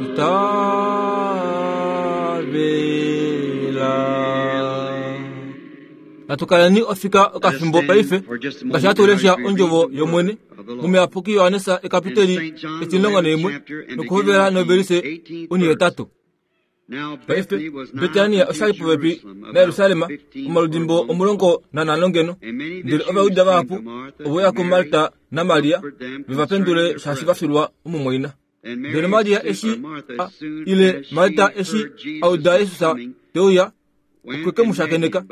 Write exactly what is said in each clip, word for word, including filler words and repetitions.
Itavela. Natukaleni ofika okafimbo paife ngaashi hatu lesha ondjovo yOmwene muMuyapuki Johannes ekapiteli etimulongo naimwe nokuhovela novelise onihetatu. Paife Betania oshali popepi naJerusalem omaludimbo omulongo nanhano ngeno, ndele Ovajuda vahapu ove uya kuMarta naMaria ve va pendule shaashi va filwa omumwaina. Ndele Maria eshi ile Marta eshi a uda Jesus te uya, okwe ke mu shakeneka,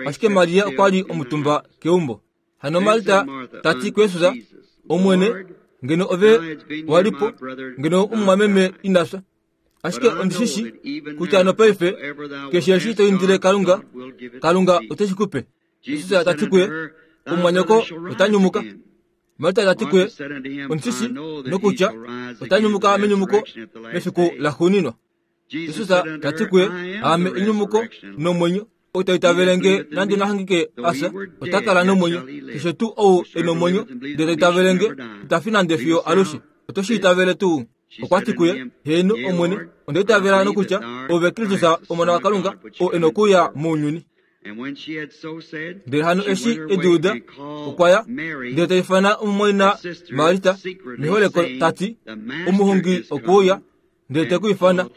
ashike Maria okwa li omutumba keumbo. Hano Marta ta ti kuJesus, Omwene, ngeno ove wa li po, ngeno omumwameme ina fya. Ashike ondi shi shii kutya nopaife keshe eshi to indile Kalunga, Kalunga ote shi ku pe. Jesus ta ti kuye, omumwanyoko ota nyumuka. Marta ta ti kuye, ondi shi shii nokutya ota nyumuka menyumuko mefiku laxuuninwa. Jesus ta ti kuye, aame enyumuko nomwenyo, ou ta itavele nge nande nahangike a fya, ota kala nomwenyo. Keshe tuu ou e nomwenyo ndele ta itavele nge, ita fi nande fiyo alushe. Oto shi itavele tuu? Okwa ti kuye, heeno Omwene, onda itavela nokutya ove Kristus Omona waKalunga, oo e nokuuya mounyuni. Ndele hano eshi e di uda, okwa ya, ndele ta ifana omumwaina Marta meholeko ta ti, omuhongi okwe uya, ndele te ku ifana.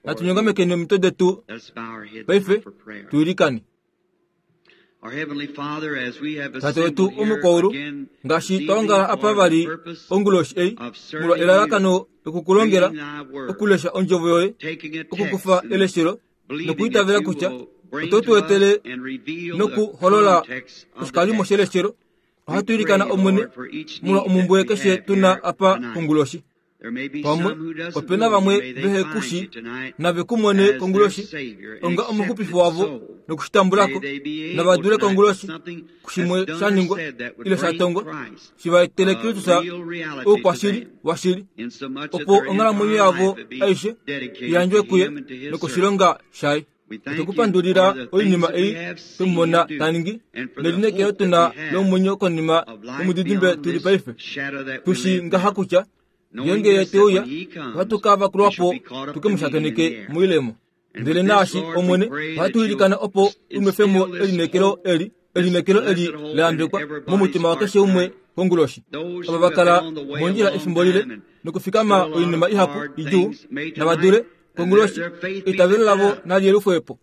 Natu nyongamekeni omitwe detu paife tu ilikane. Tate wetu omukwaulu, ngaashi twa ongala apa vali onguloshi ei, molwa elalakano lokukulongela, okulesha ondjovo yoye, okukufa eleshelo nokuitavela kutya oto tu etele nokuholola oshikalimo sheleshelo, ohatu ilikana Omwene molwa omumbwe keshe tuna apa konguloshi. Pamwe opena vamwe vehe ku shi nave ku mone konguloshi onga omuxupifi wavo nokushitambulako, nava dule konguloshi kushimwe sha ningwa ile sha tongwa shi va etele Kristus oukwashili washili, opo onghalamwenyo yavo aishe iyandjwe kuye nokoshilonga shaye. Otukupandulila oinima ei twemumona ta ningi nelineekelo tuna lomwenyo konima yomudidimbe tuli paife. Tushi ngaha kutya ngeenge ye te uya, ohatu ka vakulwa po tuke mu shakeneke moilemo. Ndele naashi Omwene, ohatu ilikana opo u nwefe mo elineekelo eli, elineekelo eli la yambekwa momutima wakeshe umwe konguloshi. Ava va kala mondjila efimbo lile nokufikama oinima ihapu idjuu, nava dule konguloshi eitavelo lavo nali yelufwe po.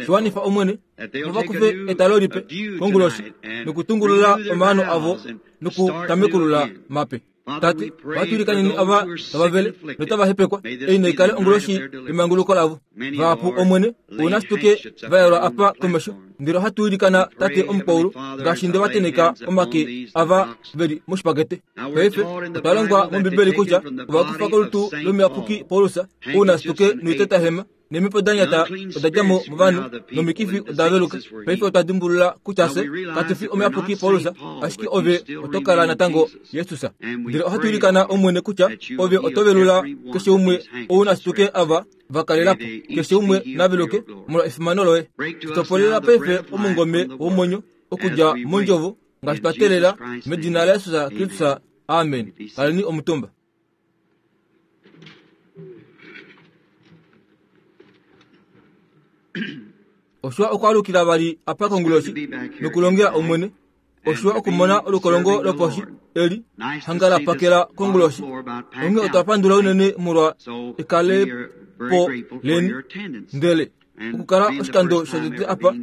Shiwanifa Omwene, opo va kufe etalo lipe konguloshi nokutungulula omaano avo nokutamekulula mape. Tate, ohatu ilikaneni ava tava vele notava hepekwa, ei naikale onguloshi yemanguluko lavo. Vahapu Omwene, ouna situke va yelwa apa komesho, ndele ohatu ilikana Tate omukwaulu ngaashi nde va teneka omake ava veli moshipakete. Paife otwa longwa mOmbibeli kutya ova kufa kolutu lomuyapuki Paulus, ouna situke noitetahema neemhepo da nyata oda dja mo movanhu nomikifi oda veluka. Paife otwa dimbulula kutya fye katu fi omuyapuki Paulus, ashike ove oto kala natango Jesus. Ndele ohatu ilikana Omwene kutya ove oto velula keshe umwe ouna situke ava va kalela po, keshe umwe na veluke molwa efimano loye. Tutopolela paife omungome womwenyo okudja mondjovo ngaashi twa teelela medina laJesus Kristus. Amen. Kaleni omutumba. Oshiwa okwaalukila vali apa konguloshi nokulongela Omwene. Oshiwa okumona olukolongo loposhi eli hanga la pakela konguloshi. Onghee otwa pandula unene molwa ekalepo leni, ndele okukala oshikando shotete apa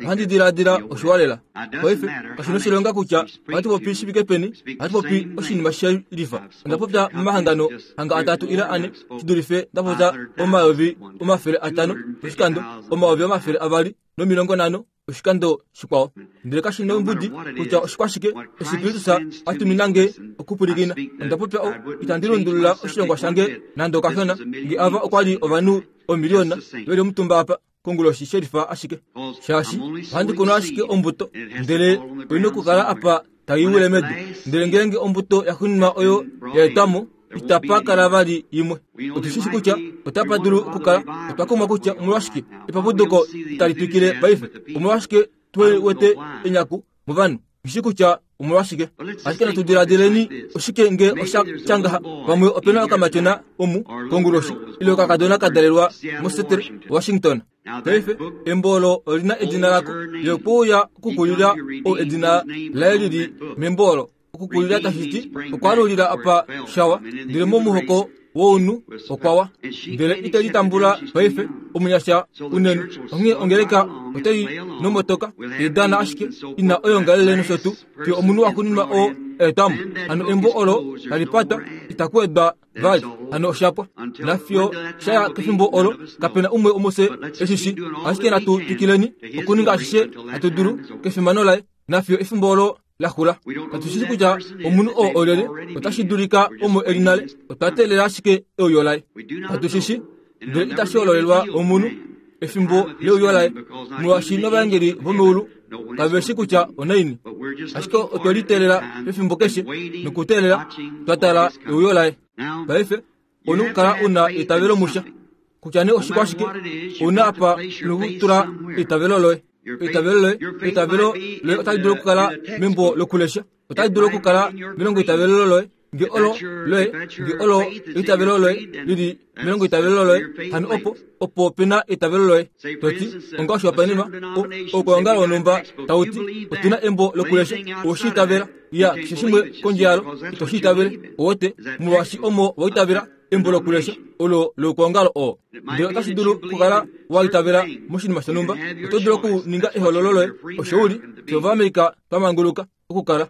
ohandi diladila oshiwa lela. Paife kashi noshilonga kutya ohatu popi shi fike peni, ohatu popi oshinima she lifa. Onda popya momahangano hanga atatu ile ane shi dulife nda popya omayovi omafele atano oshikando, omayovi omafele avali nomilongo nhano oshikando shikwao. Ndele kashi nombudi kutya oshikwashike eshi Kristus a tumina nge okupwilikina. Onda popya o, itandi lundulula oshilongwa shange nande okashona, nge ava okwa li ovanhu omiliona veli omutumba apa konguloshi shelifa ashike, shaashi ohandi kunu ashike ombuto, ndele oina okukala apa tai wile medu. Ndele ngeenge ombuto ya xuninwa oyo ya etwa mo, itapa kala vali imwe. Otu shi shi kutya otapa dulu okukala. Otwa kumwa kutya omolwashike epapuduko itali twikile paife, omolwashike tuhe wete enyaku movanhu. Nghishi kutya Omolwashike ashike natu diladileni oshike nge osha tya pamwe opena okamatyona omu konguloshi ile okakadona ka dalelwa moSeattle, Washington. Paife embo olo olina edina lako ye okwe uya okukulila ou edina laye lili membo olo. Okukulila tashi ti okwaalulila apa shawa, ndele momuhoko wounhu okwawa, ndele ite litambula paife omunyasha unene. Onghee ongeleka otai nomotoka teidana ashike ina oyongalele nosho tuu fiyo omunhu waxuuninwa oo aetwamo. Hano embo olo tali patwa itaku wedwa vali, hano oshapwa. Nafiyo shaya kefimbo olo kapena umwe womufye eshishi, ashike natu twikileni okuninga ashishe hatu dulu kefimano laye nafiyo efimbo olo laxula. Katu shi kutya omunhu oo olyelye, otashi dulika omo eli nale, otwa teelela ashike euyo laye. Katu shi shi, ndele itashi hololelwa omunhu efimbo leuyo laye, molwaashi novaengeli vomeulu kave shi kutya onaini. Ashike otwe liteelela pefimbo keshe nokuteelela twa tala euyo laye. Paife ouna okukala una eitavelo musha, kutya nee oshikwashike, ouna apa nokutula eitavelo loye. Eitavelo loye, eitavelo loye otali dulu okukala membo lokulesha, otali dulu okukala melongo eitavelo loye, nge olo loye, nge olo eitavelo loye lili melongo eitavelo loye, hano opo opo pena eitavelo loye. Toti onga oshihopaenenwa, oukwaongalo wonhumba tauti otuna embo lokulesha, oweshi itavela, ya keshe shimwe kondje yalo ito shi itavele, owote molwaashi omo wa itavela embo lokulesha olo loukwaongalo oo. Ndele otashi dulu okukala wa itavela moshinima shonhumba, oto dulu okuninga ehololo loye osho uli, fye Ovaamerica twa manguluka okukala.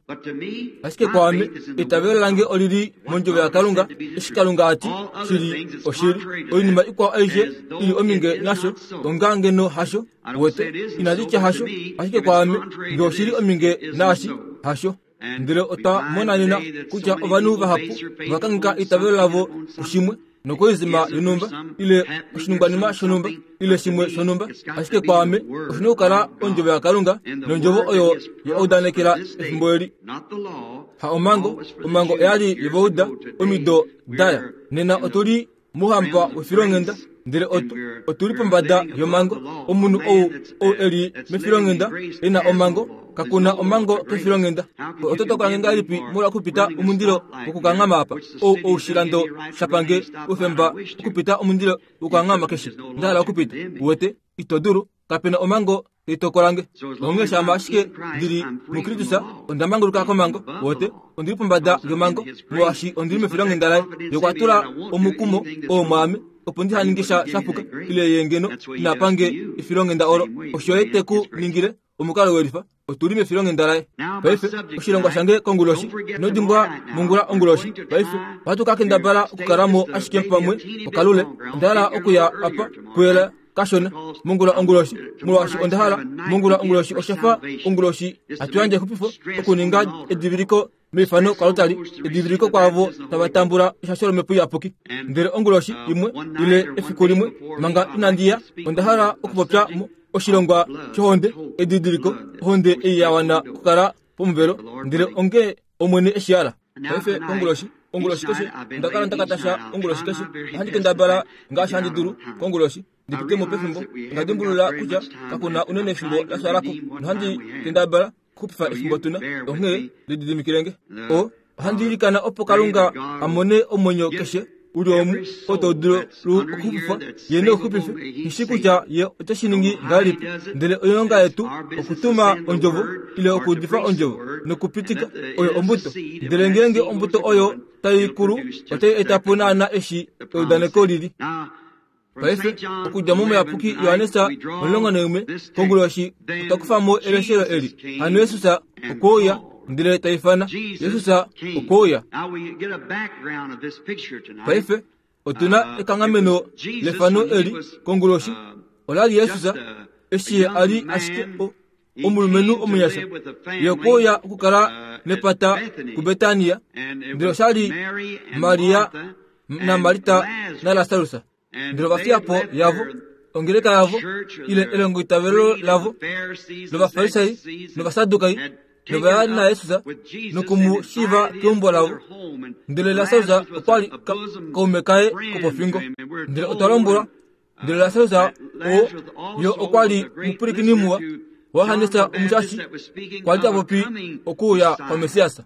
Ashike kwaame eitavelo lange olili mondjovo yaKalunga, eshi Kalunga ati shili oshili. Oinima ikwao aishe ili ominge nasho onga ngeno hasho, wete inandi tya hasho, ashike kwaame nge oshili ominge naashi hasho. Ndele otwa mona nena kutya ovanhu vahapu ovakangheka eitavelo lavo kushimwe nokoizima yonhumba ile oshiningwanima shonhumba ile shimwe shonhumba, ashike kwaame oshina okukala ondjovo yaKalunga nondjovo oyo ya udanekela efimbo eli. Ha omhango, omhango oyali yevauda omido daya. Nena otuli mouhamba wefilonghenda, ndele otu otuli pombada yomhango. Omunhu ou ou eli mefilonghenda ena omhango, kakuna omhango kefilonghenda. Oto tokola ngahelipi molwa okupita omundilo wokukanghama apa? Ou oushilando shapange oufemba okupita omundilo wokukanghama keshe nda hala okupita. Uwete, ito dulu, kapena omhango teitokolange. Onghee shama ashike ndili muKristus, onda manguluka komhango. Wote ondili pombada yomhango molwaashi ondili mefilonghenda laye. Ye okwa tula omukumo oo mwaame opo ndiha ninge sha shapuka ile ye ngeno ina pange efilonghenda olo. Osho ye te ku ningile omukalo welifa, otuli mefilonghenda laye. Paife oshilongwa shange konguloshi, ino dimbwa mongula onguloshi. Paife ohatu ka kendabala okukalamo ashike pamwe okalule. Onda hala okuya apa kuyela kashona mongula onguloshi, molwaashi onda hala mongula onguloshi oshafa onguloshi hatu yandje exupifo okuninga ediviliko meifano kwalutali, ediviliko kwaavo tava tambula eshasho lomhepo iyapuki. Ndele onguloshi imwe ile efiku limwe manga inandi ya, onda hala okupopya oshilongwa shohonde, edidiliko, ohonde ei ya wana okukala pomuvelo, ndele onge Omwene eshi hala. Paife konguloshi, onguloshi keshe onda kala ndakatasha onguloshi keshe, ohandi kendabala ngaashi handi dulu konguloshi ndipite mo pefimbo. Onda dimbulula kutya kakuna unene efimbo la fyalako, nohandi kendabala okuxupifa efimbo tuna. Onghee lididimikilenge. O ohandi ilikana opo Kalunga a mone omwenyo keshe uli omu oo tau dulu okuxupifwa, ye neuxupife. Nghishi kutya ye ote shi ningi ngahelipi, ndele oilonga yetu okutuma ondjovo ile okuudifa ondjovo nokupitika oyo ombuto. Ndele ngeenge ombuto oyo tai kulu, otai eta po naana eshi eudaneko lili. Paife okudja momuyapuki Johannes omulongo naumwe konguloshi otwa kufa mo eleshelo eli. Hano Jesus okwe uya ndele ta ifana. Jesus okwe uya. Paife otuna ekanghameno lefano eli konguloshi. Ola li Jesus eshi ye a li ashike omulumenhu omunyasha, ye okwe uya okukala nepata kuBetania, ndele osha li Maria naMarta naLasarus. Ndele ova fiya po yavo, ongeleka yavo, ile elongoitavelo lavo lOvafarisai nOvasadukai, nova ya naJesus noku mu shiiva keumbo lavo. Ndele Lasarus okwa li kaume kaye kopofingo. Ndele otwa lombwelwa, ndele Lasarus oo yo okwa li omupwilikini muwa Johannes omushashi kwa li ta popi okuuya kwa Messias.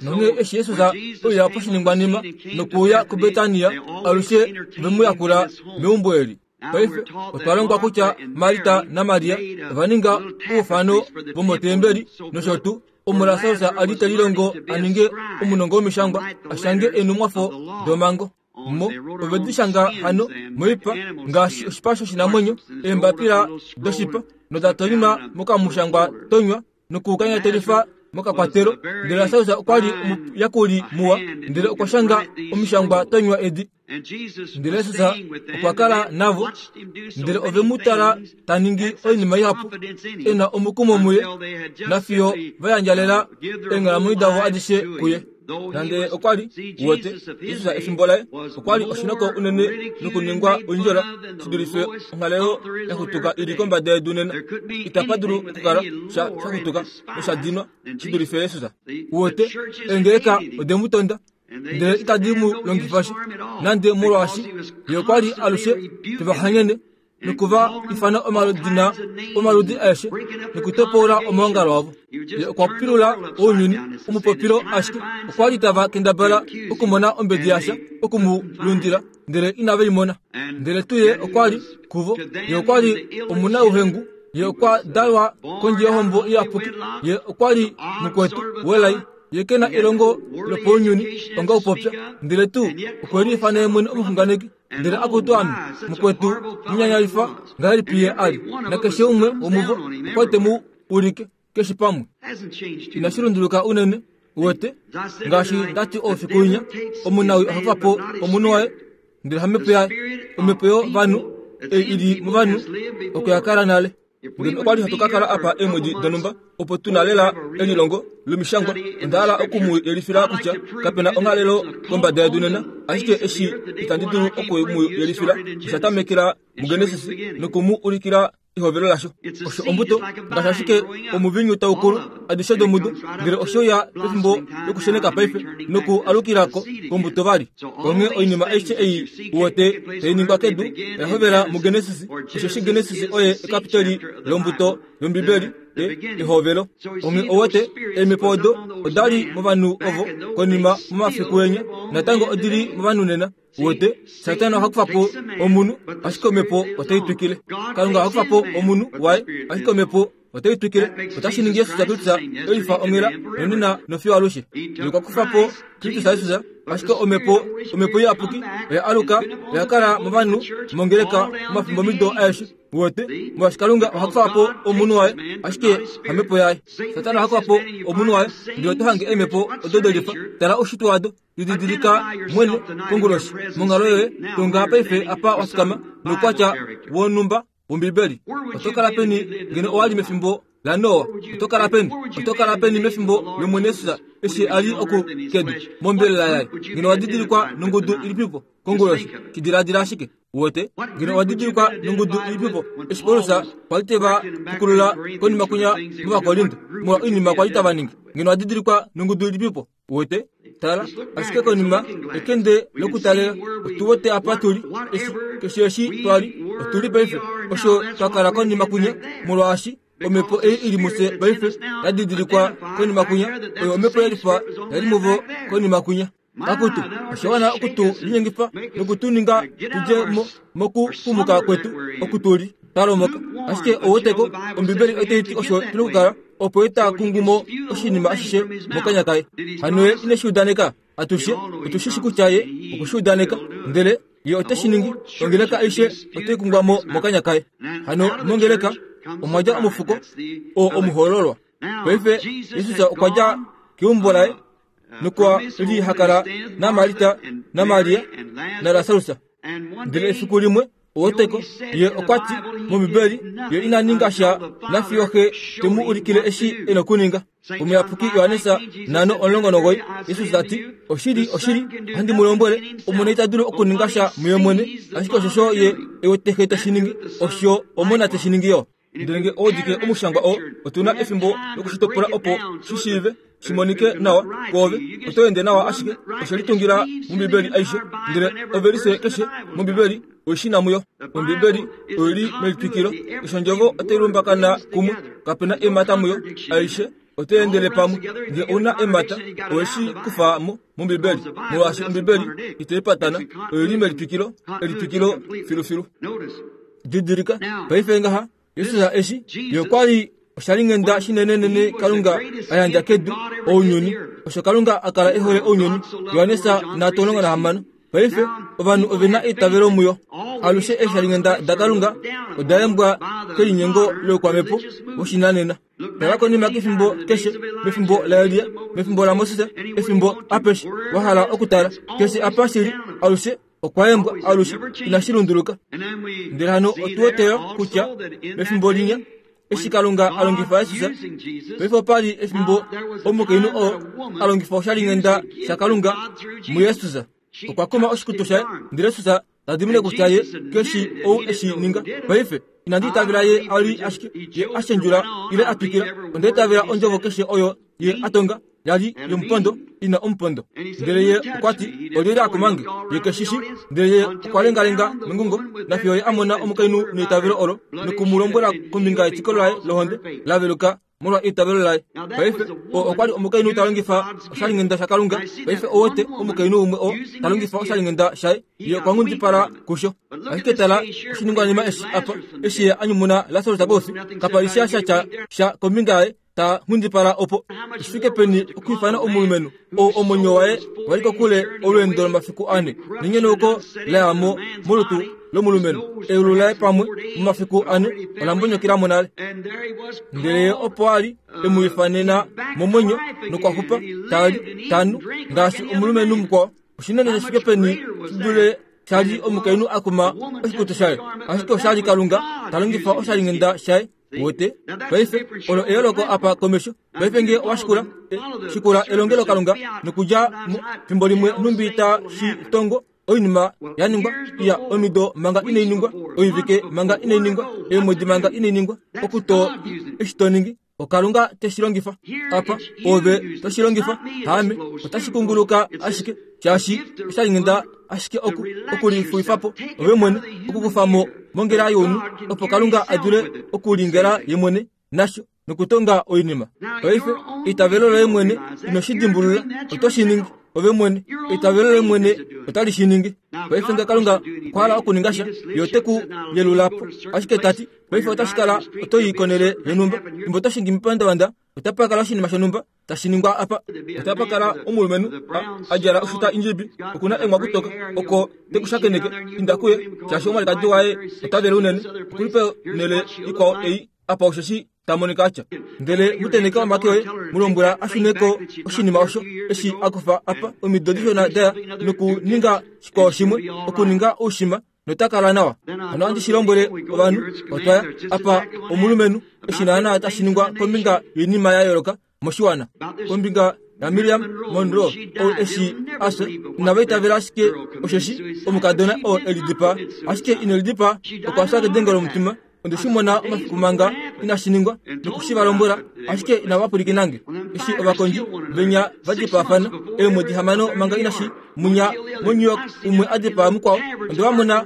Nonghee eshi Jesus oya poshiningwanima nokuuya kuBetania, alushe ve mu yakula meumbo eli. Paife otwa longwa kutya Marta naMaria ova ninga oufano vomotembeli nosho tuu omo Lasarus a li te lilongo a ninge omunongo womishangwa a shange eenhumwafo domhango. Mo ove di shanga hano moipa ngaashi oshipa shoshinamwenyo, eembapila doshipa noda tonywa mokamushangwa tonywa nokukanyatelifa mokakwatelo. Ndele Lasarus okwa li omuyakuli muwa, ndele okwa shanga omishangwa tonywa edi. Ndele Jesus okwa kala navo, ndele ove mu tala ta ningi oinima ihapu, e na omukumo muye, nafiyo va yandjalela eenghalamwenyo davo adishe kuye. Nande okwa li wete Jesus efimbo laye okwa li oshinoko unene nokuningwa oindjola shi dulife onghalelo ya xutuka ili kombada yedu nena. Itapa dulu okukala sha shaxutuka nosha dinwa shi dulife Jesus. Wete eengeleka ode mu tonda, ndele itadi mu longifa sha nande, molwaashi ye okwa li alushe teva hanyene nokuva ifana omaludina omaludi aeshe nokutopola omaongalo avo. Ye okwa pilula ounyuni omupopilo ashike okwa li tava kendabala okumona ombedi yasha oku mu lundila, ndele inave i mona. Ndele tuu ye okwa li kuvo, ye okwa li omunauhengu, ye okwa dalwa kondje yohombo iyapuki, ye okwa li mukwetu welai, ye ke na elongo lopounyuni onga upopya, ndele tuu okwe liifana ye mwene omuxunganeki. Ndele akutu ame mukwetu munyanyalifa ngahelipi ye a li, nakeshe umwe womuvo okwa te mu ulike keshe pamwe. Inashi lunduluka unene, wete ngaashi ndati oufiku winya, omunawi oha kufa po omunhu waye, ndele hamhepo yaye, omhepo yovanhu ei ili movanhu oko ya kala nale. Ngeno okwa li hatu ka kala apa eemwedi donhumba opo tu na lela elilongo lomishangwa, onda hala oku mu yelifila kutya kapena onghalelo kombada yedu nena, ashike eshi itandi dulu oku mu yelifila osha tamekela muGenesis noku mu ulikila ehovelo lasho. Osho ombuto ngaashi ashike omuvinyu taukulu adishe domudo, ndele osho ya pefimbo lokusheneka paife noku alukilako kombuto vali. Onghee oinima aishe ei uwete tai ningwa kedu oya hovela muGenesis, osheshi Genesis oye ekapiteli lombuto yOmbibeli ehovelo. Onghee owete eemhepo odo oda li movanhu ovo konima momafiku enya, natango odi li movanhu nena. Wete Satana oha kufa po omunhu, ashike omhepo otai twikile. Kalunga oha kufa po omunhu waye, ashike omhepo otai twikile. Otashi ningi Jesus Kristus elifa onghela nonena nofiyo alushe. Ye okwa kufa po Kristus Jesus, ashike omhepo omhepo iyapuki oya aluka, oya kala movanhu mongeleka momafimbo mido aeshe. Wete molwaashi Kalunga oha kufa po omunhu waye, ashike hamhepo yaye. Satana oha kufa po omunhu waye, ndele oto hange eemhepo odo delifa. Tala oushitwe wado, lididilika mwene konguloshi monghalo yoye tonga paife apa wafikama noukwatya wonhumba wOmbibeli. Oto kala peni ngeno owa li mefimbo laNoa? Oto kala peni? Oto kala peni mefimbo lOmwene Jesus eshi a li oku kedu mombelela yaye? Ngeno owa didilikwa nongudu ilipipo konguloshi? Shidiladila ashike. Wete ngeno owa didilikwa nongudu ilipipo eshi Paulus kwa li te va pukulula konima kunya mOvakorinto molwa oinima kwa li tava ningi? Ngeno owa didilikwa nongudu ilipipo? Wete tala ashike konima ekende lokutalela otu wete apa tuli, eshi keshe eshi twali otuli paife osho twa kala konima kunya, molwaashi omhepo ei ili mufye paife ya didilikwa konima kunya, oyo omhepo yelifa yali muvo konima kunya. Akutu oshiwana okutu linyengifa nokutuninga tudje mo mokupumuka kwetu okutuli talomoka. Ashike oweteko Ombibeli otai ti osho tuna okukala, opo ye ta kungumo oshinima ashishe mokanya kaye. Hano ye ine shi udaneka atushe, otu shi shi kutya ye okwe shi udaneka, ndele ye ote shi ningi. Ongeleka aishe otai kungwa mo mokanya kaye. Hano mongeleka omwa dja omufuko oo omuhoololwa. Paife Jesus okwa dja keumbo laye nokwa li ha kala naMarta naMaria naLasarus. Ndele efiku limwe oweteko ye okwa ti mOmbibeli ye ina ninga sha nafiyo xe te mu ulikile eshi e nokuninga. Omuyapuki Johannes nano omulongo nogoi Jesus ta ti, oshili oshili ohandi mu lombwele, Omona ita dulu okuninga sha muye mwene, ashike oshosho ye e wete xe te shi ningi, osho Omona te shi ningi yo. Ndele nge oudike omushangwa oo, otu na efimbo lokushitopola opo shi shiive shi monike nawa kwoove. Oto ende nawa ashike oshe litungila mOmbibeli aishe, ndele ovelise keshe mOmbibeli oishina muyo. Ombibeli oili melitwikilo, eshi ondjovo otai lumbakana kumwe, kapena emata muyo, aishe otai endele pamwe. Nge ouna emata, oweshi kufa mo mOmbibeli, molwaashi Ombibeli itai patana, oili melitwikilo, elitwikilo filufilu. Didilika, paife ngaha, Jesus eshi, ye okwa li oshalinghenda shinenenene Kalunga a yandja kedu ounyuni, osho Kalunga a kala e hole ounyuni. Johannes nhatu omulongo nahamano. Paife ovanhu ove na eitavelo muyo. Alushe eeshalinghenda daKalunga oda yembwa kelinyengo loukwamhepo woshinanena. Tala konima kefimbo keshe, mefimbo laElia, mefimbo laMoses, efimbo apeshe wa hala okutala, keshe apa shili, alushe okwa yembwa, alushe inashi lunduluka. Ndele hano otu wete kutya mefimbo linya eshi Kalunga a longifa Jesus, paife opa li efimbo omukainhu oo a longifa oshalinghenda shaKalunga muJesus. Okwa kuma oshikutu shaye, ndele Jesus ta dimine kutya ye keshi ou eshi ninga. Paife inandi itavela ye a li ashike ye a shendjula ile a twikila, onda itavela ondjovo keshe oyo ye a tonga yali yomupondo ina omupondo. Ndele ye okwa ti, olyelye a kumange? Ye keshishi. Ndele ye okwa lengalenga mengungo, nafiyo ye a mona omukainhu neitavelo olo, noku mu lombwela kombinga yetiko laye lohonde la veluka molwa eitavelo laye. Paife oo okwa li omukainhu ta longifa oshalinghenda shaKalunga. Paife owote omukainhu umwe oo ta longifa oshalinghenda shaye, ye okwa nghundipala kusho. Ashike tala oshiningwanima eshi apa, eshi ye a nyumuna Lasarus koufi, kapa li sha sha sha kombinga yaye ta nghundipala opo. Shifike peni okwiifana omulumenhu ou omwenyo waye wali kokule olweendo lomafiku ane, nenyenauko la ya mo molutu lomulumenhu, eulu laye pamwe momafiku ane ola mbonyokela mo nale. Ndele ye opo a li e mu ifanena momwenyo nokwa xupa tali tanu ngaashi omulumenhu mukwao. Oshinene shifike peni shi dule sha li omukainhu a kuma oshikutu shaye, ashike osha li Kalunga ta longifa oshalinghenda shaye. Wote paife olo eyooloko apa komesho. Paife nge owa shikula, shikula elongelo Kalunga nokudja fimbo limwe nhumbi ta shi tongo oinima ya ningwa ya omido manga inai ningwa, oivike manga inai ningwa, eemwedi manga inai ningwa, okuto eshi to ningi oKalunga te shi longifa apa, ove to shi longifa haame, otashi kunguluka ashike shaashi oshalinghenda ashike oku okulifuifapo ove mwene, okukufa mo mongela younhu, opo Kalunga a dule okulingela ye mwene nasho nokutonga oinima. Paife eitavelo loye mwene ino shi dimbulula, oto shi ningi ove mwene, eitavelo loye mwene otali shi ningi. Paife nge Kalunga okwa hala okuninga sha, ye ote ku yelula po ashike ta ti, paife otashi kala oto i konele yonhumba, fimbo oto shingi mepandavanda, otapa kala oshinima shonhumba tashi ningwa apa. Otapa kala omulumenhu a djala oshuta indjibi, okuna engwa kutoka, oko te ku shakeneke, inda kuye, shaashi omwalikadi waye ota vele unene, okuli ponhele ikwao ei apa osheshi ta monika atya. Ndele muteneka omake oye, mu lombwela a shune ko oshinima osho eshi a kufa apa omido dishona daya nokuninga shikwao shimwe, okuninga oushima, nota kala nawa. Hano ohandi shi lombwele ovanhu, otwa ya apa omulumenhu eshi naana tashi ningwa kombinga yoinima ya yooloka moshiwana, kombinga yaMiriam Monroe ou eshi afya, inava itavela ashike osheshi omukadona oo e lidipaa, ashike ine lidipaa, okwa fya kedengo lomutima. Onde shi mona omafiku manga inashi ningwa noku shi va lombwela, ashike inava pwilikina nge. Eshi ovakondji venya va dipaafana eemwedi hamano manga inashi munya moNew York, umwe a dipaa mukwao, onde va mona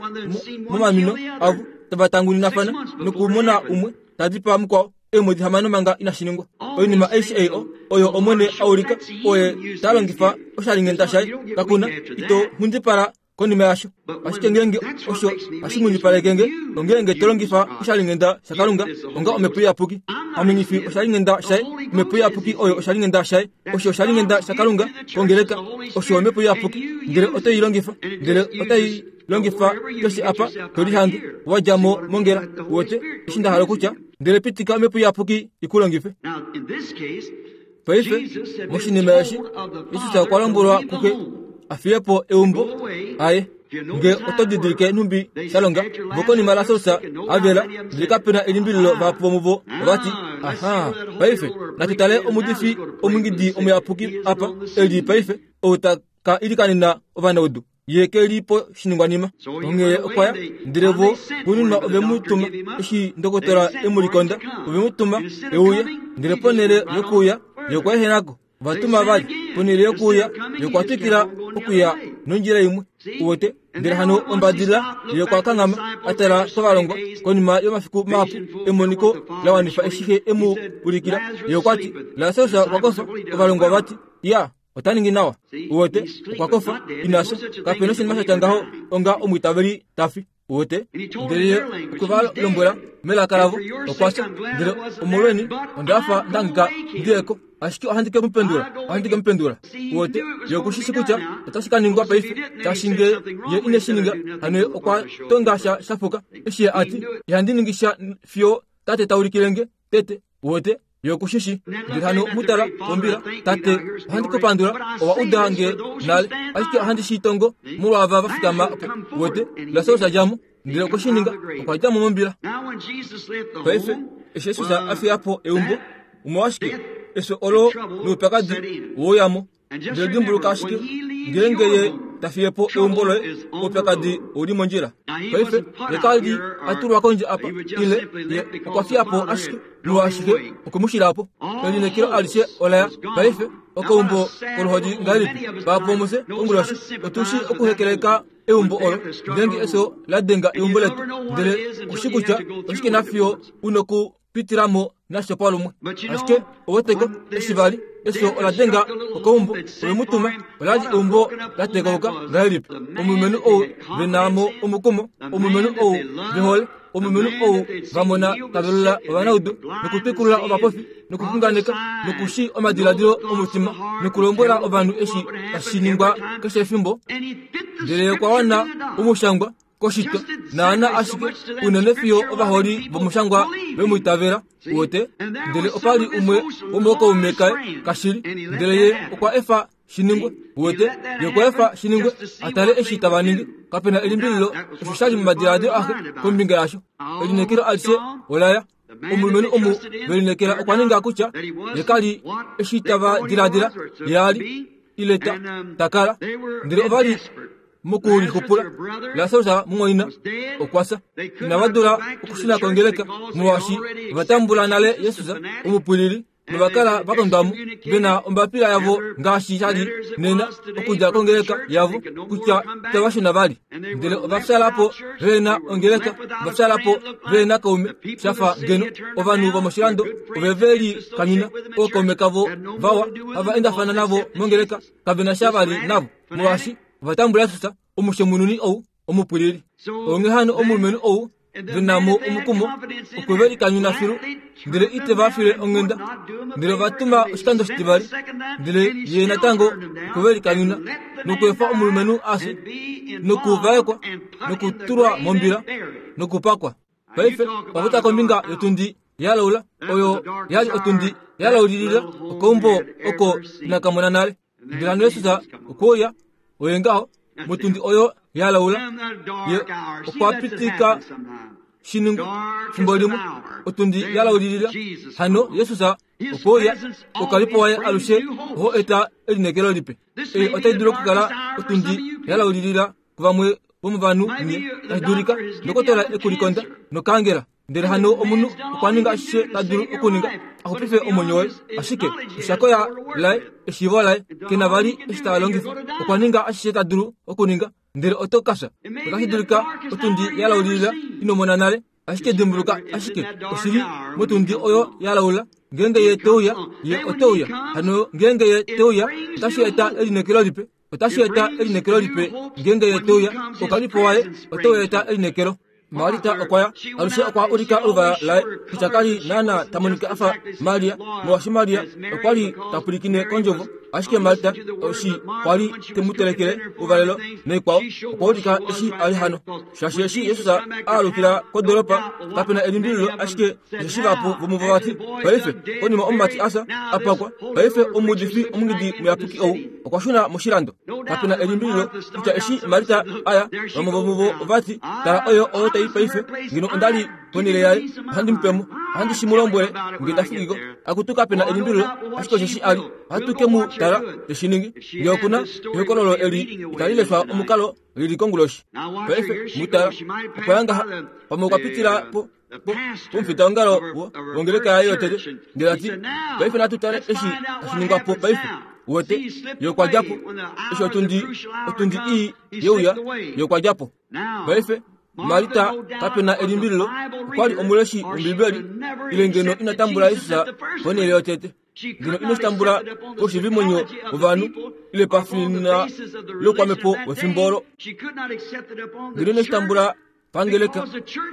momamino avo tava tanguninafana nokumona umwe ta dipaa mukwao eemwedi hamano manga inashi ningwa. Oinima aishe ei oyo Omwene a ulika, oye ta longifa oshalinghenda shaye, kakuna ito nghundipala konima yasho. Ashike ngeenge osho hashi nghundipaleke nge, ongeenge to longifa oshalinghenda shaKalunga onga Omhepo Iyapuki. Ame nghi fi oshalinghenda shaye, Omhepo Iyapuki oyo oshalinghenda shaye, osho oshalinghenda shaKalunga kongeleka, osho Omhepo Iyapuki. Ndele oto i longifa, ndele otai longifa keshe apa to lihange wa dja mo mongela, wote eshi nda hala okutya, ndele pitika Omhepo Iyapuki i ku longife. Paife moshinima eshi, Jesus okwa lombwelwa kuxe a fiye po eumbo aye. Nge oto didilike nhumbi sha longa, vo konima Lasarus a vela, ndele kapena elimbililo vahapu vomuvo ovati, aha, paife natu tale omudifi omungidi omuyapuki apa e li paife, ou ta ka ilikanena ovanaudu, ye ke li po shiningwanima. Onghee okwa ya, ndele vo xuuninwa ove mu tuma, eshi ndokotola e mu likonda, ove mu tuma e uye, ndele ponhele yokuuya, ye okwa ehena ko. Ovatuma vali ponhele yokuuya, ye okwa twikila okuya nondjila imwe. Uwete ndele hano ombadilila ye okwa kanghama a tala kovalongwa konima yomafiku mahapu emoniko la wanifa eshi xe emu ulikila. Ye okwa ti Lasarus okwa kofa. Ovalongwa vati ya ota ningi nawa. Uwete okwa kofa inasha kapena oshinima sha tya ngaho onga omwiitaveli tafi. Uwete ndele ye okwe va lombwela melaka lavo okwa fya. Ndele omolweni onda fa ndangika ndiyeko ashike ohandi ke mu pendula, ohandi ke mu pendula. Uwete ye okushishi kutya otashi ka ningwa paife shaashi nge ye ine shi ninga hano ye okwa tonga sha shapuka. Eshi ye ati ihandi ningi sha fiyo tate ta ulikile nge tete. Uwete ye okushishi. Ndele hano mutala kombila tate ohandi kupandula owa uda nge nale ashike ohandi shi tongo molwava va fikama opo. Uwete Lasarus a dja mo ndele okwe shi ninga okwa dja mo mombila. Paife eshi Jesus a fiya po eumbo omolwashike efyo olo noupyakadi wouyamo. Ndele dimbuluka ashike ngeenge ye ta fiye po eumbo loye oupyakadi ouli mondjila. Paife ye kali a tulwa kondje apa ile ye okwa fiya po ashike molwashike okwe mu shila po. Elineekelo alishe olaya paife okeumbo koluhodi ngahelipi vahapu vomufye konguloshi otushi okuhekeleka eumbo olo ngeenge efyo la denga eumbo letu ndele kushi kutya oshike nafiyo unoku pitilamo nasho palumwe. Ashike oweteko eshi vali efyo ola denga okeumbo ove mu tuma olali eumbo la tekauka ngahelipi. Omulumenhu ou venamo omukumo, omulumenhu ou vehole, omulumenhu ou vamona tavelula ovanaudu nokutwikulula ovapofi nokuxunganeka nokushi omadiladilo omutima nokulombwela ovanhu eshi tashi ningwa keshe efimbo. Ndele okwa wana omushangwa koshitwa naana ashike unene fiyo ovaholi vomushangwa vemwiitavela. Uwete ndele opali umwe womokaume kaye kashili ndele ye okwa efa shiningwe. Uwete ye okwa efa shiningwe atale eshi tava ningi. Kapena elimbililo osho shali momadiladilo axe kombinga yasho. Elineekelo alishe olaya. Omulumenhu omu velineekela okwa ninga kutya ye kali eshi tava diladila ye ali ile ta takala. Ndele ovali mokulixupula Lasarus mumwaina okwa fya. Inava dula okushuna kongeleka molwaashi ova tambula nale Jesus omupwilili novakala vakondwamo vena ombapila yavo ngaashi shali nena okudja kongeleka yavo kutya itava shuna vali. Ndele ova fyala po vena ongeleka, ova fyala po vena kaume shafa ngeno ovanhu vomoshilando ove veli kanyuna ookaume kavo vawa hava endafana navo mongeleka kavena sha vali navo molwaashi ova tambula Jesus omushemununi ou omupwilili. Onghee hano omulumenhu ou venamo omukumo okwe ve likanyuna filu ndele ite va file onghenda. Ndele ova tuma oshikando shitivali ndele ye natango okwe ve likanyuna nokweefa omulumenhu afye nokuvaekwa nokutulwa mombila nokupakwa. Paife ova kombinga yotundi yalaula oyo yali otundi yalaulilila okeumbo oko inakamona nale. Ndele hano Jesus okwe uya oye ngaho motundi oyo yalaula ye okwa pitika shiningwe fimbo limwe otundi yalaulilila. Hano Jesus okwe uya okalipo waye alushe oho eta elineekelo lipe. Ei otai dulu okukala otundi yalaulilila kuvamwe vomovanhu nye tashi dulika ndokotola ekulikonda nokangela. Ndele hano omunhu okwa ninga ashishe ta dulu okuninga axupife omwenyo waye ashike oshakoya laye eshiivo laye kena vali eshi ta longifa. Okwa ninga ashishe ta dulu okuninga ndele oto ka fya. Otashi dulika otundi yalaulilila inomona nale ashike dimbuluka ashike oshili motundi oyo yalaula ngeenge ye teuya ye oteuya. Hano ngeenge ye teuya otashi eta elineekelo lipe. Otashi eta elineekelo lipe ngeenge ye teuya okalipo waye otau eta elineekelo. Marita okwa ya alushe okwa ulika oluvala laye kutya kali naana ta monika afa Maria molwaashi Maria okwa li ta pwilikine kondjovo ashike Marita oshi kwali te mu telekele ouvalelo noikwao okwa ulika eshi ali hano. Shaashi eshi Jesus a alukila kodoropa kapena elimbililo ashike osheshi vahapu vomuvo vati paife konima omumati asa apakwa paife omuudifi omungidi muyapuki ou okwa shuna moshilando. Kapena elimbililo kutya eshi Marita aya vamwe vomuvo ovati tala oyo oyo tai paife ngeno ondali ponhele yaye ohandi mupemo ohandi shi mu lombwele nge ndafikiko. Akutu kapena elimbililo ashike osheshi ali ohatu ke mu tala teshi ningi. Nge okuna ehokololo eli itali leshwa omukalo lili konguloshi. Paife mutala okwa ya ngaha pamwe okwa pitila po pomufitaongalo wongeleka yaye yotete ndele ati paife natu tale eshi tashi ningwa po paife. Wete ye okwa djapo eshi otundi otundi ii yeuya ye okwa djapo. Paife Marita kapena elimbililo okwali omuleshi wombibeli ile ngeno ina tambula Jesus ponhele yotete. Ngeno ino shitambula koshivimonyo wovanhu ile pafina lokwamhepo wefimbo olo. Ngeno ino shitambula pangeleka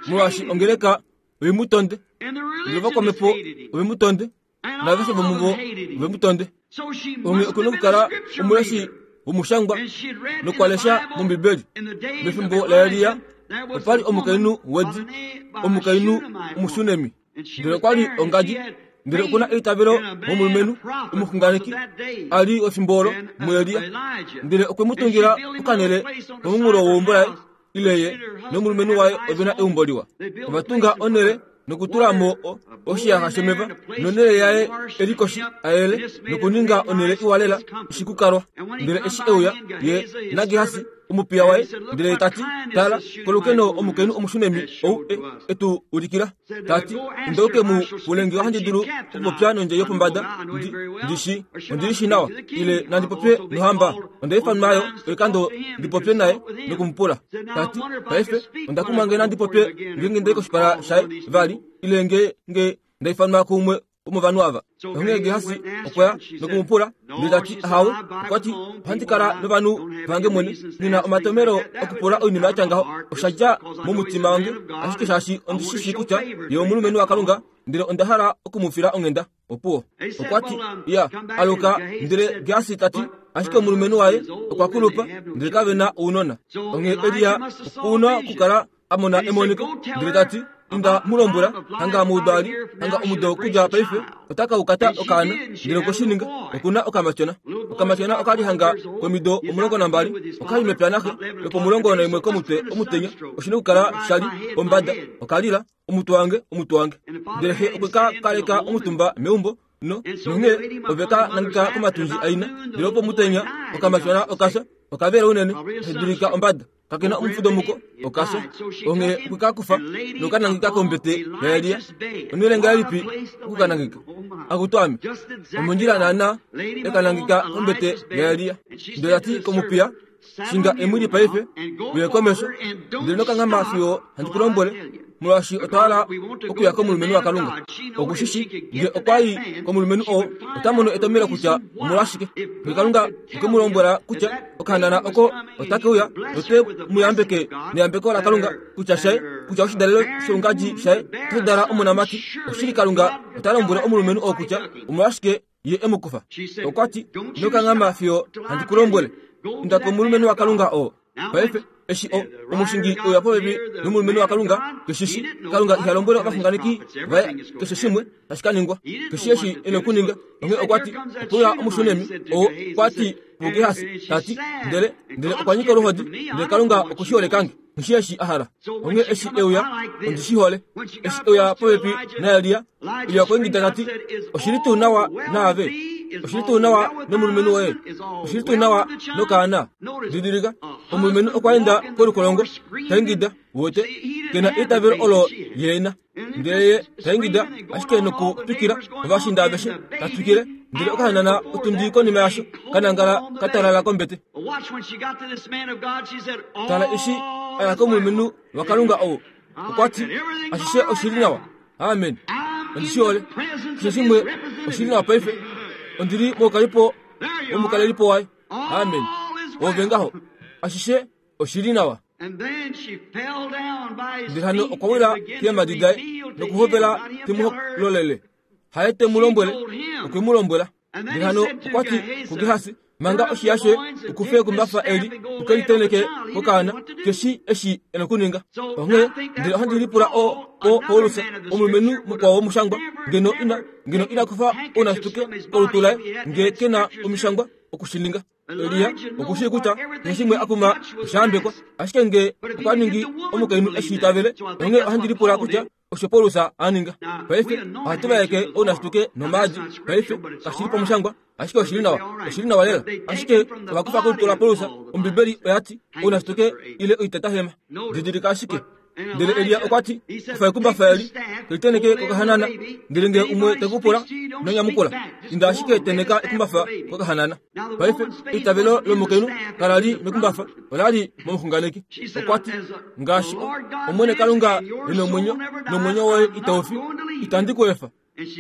molwaashi ongeleka oimutonde ndele vakwamhepo oimutonde naveshe vomuvo oimutonde. Onge okuna okukala omuleshi womushangwa nokwalesha mombibeli. Mefimbo laElia opali omukainhu wedi omukainhu omushunemi ndele okwali ongadi ndele okuna eitavelo momulumenhu omuxunganeki ali wefimbo olo muElia ndele okwe mu tungila okanhele pomunghulo weumbo laye ile ye nomulumenhu waye ovena eumbo liwa. Ovatunga onhele nokutula mo oshiyaxa shomeva nonhele yaye elikoshi ayele nokuninga onhele iwa lela ishikukalwa. Ndele eshi euya ye naGehasi omupiya waye ndele tati tala kolukeno omukainhu omushunemi ou etu ulikila tati indauke mu pulenge ohandi dulu okupopya nondje yopombada ndishi ondilishi nawa ile nandipopye nohamba ondaifanwayo oikando ndipopye naye nokumupula tati paife ondakumwa nge nandipopye ngenge ndai koshipala shaye vali ile nge nge ndaifanwa kumwe womovanhu ava. Onghee Gehasi okwaya nokumupula ndele tati ahawe okwati ohandi kala novanhu vange mwene nina omatomelo okupula oinima yatya ngaho osha dja momutima wange ashike shaashi ondishishi kutya ye omulumenhu waKalunga ndele onda hala okumufila onghenda. Opuwo okwati ya aluka ndele Gehasi tati ashike omulumenhu waye okwa kulupa ndele kavena ounona. Onghee Elia okuna okukala amona emoniko ndele tati inda mulombwela hanga muudali hanga omudo okudja paife otaka ukata okaana ndele okoshininga okuna okamatyona. Okamatyona okali hanga komido omulongo nambali okali mepya naxe lopomulongo naimwe komutwe omutenya oshina okukala shali pombada okalila omutwe wange omutwe wange ndele xe okweka kaleka omutumba meumbo no nonghee oveka nangika komatundji aina ndele opo omutenya okamatyona okasha okavela unene edulika ombada kakena omufudo muko okasha. Onge okwekakufa nokanangika kombete yaElia onhele ngahelipi okukanangika akutwame omondjila naana ekanangika kombete yaElia ndele tati komupiya shinga emwili paife uye komesho ndele nokanghama fiyo handi ku lombwele molwaashi otwa hala okuya komulumenhu waKalunga. Okushishi nge okwa yi komulumenhu oo ota mono etomelo kutya omolwashike nge Kalunga okwe mu lombwela kutya okahanana oko otake uya note mu yambeke neyambeko laKalunga kutya shaye kutya oshidalelo shoungadji shaye otashi dala omonamati. Oshili Kalunga ota lombwele omulumenhu oo kutya omolwashike ye e mu kufa. Okwati nokanghama fiyo handi ku lombwele inda komulumenhu waKalunga oo. Paife eshi o omushingi oya popepi nomulumenhu waKalunga keshishi Kalunga iha lombwele ovaxunganeki vaye keshe shimwe tashi ka ningwa keshe eshi ena okuninga. Onghee okwati opuya omushunemi oo okwati kuGehasi tati ndele ndele okwa nyika oluhodi ndele Kalunga okushiholekange nghishi eshi a hala. Onghee eshi euya ondishihole eshi euya popepi naElia Elia okwa ingida tati oshili tuu nawa naave oshili tuu nawa nomulumenhu woye oshili tuu nawa nokaana. Didilika omulumenhu okwa enda kolukolongo taingida wote kena eitavelo olo yeena ndele ye taingida ashike nokutwikila ovashinda aveshe tatwikile ndele okahanana otundi konima yasho kanangala katalala kombete. Tala eshi aya komulumenhu waKalunga oo okwati ashishe oshili nawa. Amen. Ondishihole keshe shimwe oshili nawa paife ondili moukalipo womukalelipo waye. Amen. Ove ngaho ashishe oshili nawa. Ndele hano okwa wila keemhadi daye nokuhovela te mu lolele haye te mu lombwele okwe mu lombwela. Ndele hano okwati kuGehasi manga oshiya shoye ukufe kumbafa eli ukeliteneke kokaana keshi eshi ena okuninga. Onghee ndele ohandi lipula o o Paulus omulumenhu mukwao womushangwa ngeno ina ngeno ina kufa ounashituke kolutu laye nge kena omishangwa okushininga. Elia okushii kutya keshe shimwe akuma oshayambekwa ashike nge okwa ningi omukainhu eshi itavele. Onghee ohandi lipula kutya osho Paulus a ninga. Paife ohatu vaeke ounashituke nomaadi paife kashili pomushangwa ashike oshili nawa oshili nawa lela ashike ovakufa kolutu laPaulus. Ombibeli oyati ounashituke ile oitatahema. Didilika ashike Ndele Elia okwa ti, kufa ekumbafa eli, keliteneke kokahanana, ndele nge umwe te ku pula, ino nyamukula. Inda ashike teneka ekumbafa kokahanana. Paife eitavelo lomukainhu kala li mekumbafa, ola li momuxunganeki. Okwa ti, ngaashi Omwene Kalunga e nomwenyo, nomwenyo woye itau fi, itandi ku efa.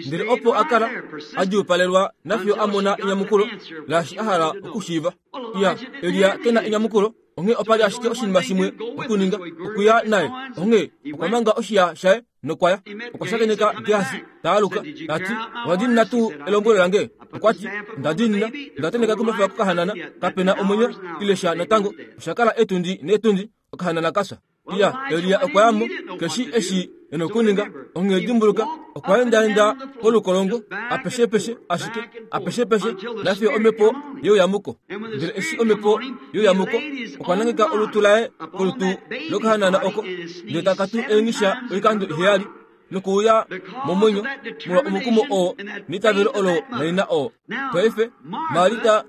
Ndele opo a kala a djuupalelwa nafiyo a mona enyamukulo laashi a hala okushiiva. Iya, Elia ke na enyamukulo, onghee opa li ashike oshinima shimwe okuninga, okuya naye. Onghee okwa manga oshiya shaye nokwaya. Okwa shakeneka Gehasi ta aluka, ta ti, owa diinina tuu elombwelo lange? Okwa ti, nda diinina, nda teneka ekumbafa kokahanana, kape na omwenyo ile sha natango. Osha kala etundi netundi, okahanana ka fya. Iya, Elia okwa ya mo, keshi eshi e nokuninga. Onghee dimbuluka, okwa endaenda kolukolongo, apeshepeshe ashike, apeshepeshe, nafiyo omhepo yeuyamuko. Ndele eshi omhepo yeuyamuko, okwa nangeka olutu laye kolutu lokahanana oko, ndele taka tu eengisha oikando iheyali, nokuuya momwenyo molwa omukumo oo neitavelo olo laina oo. Paife, Marita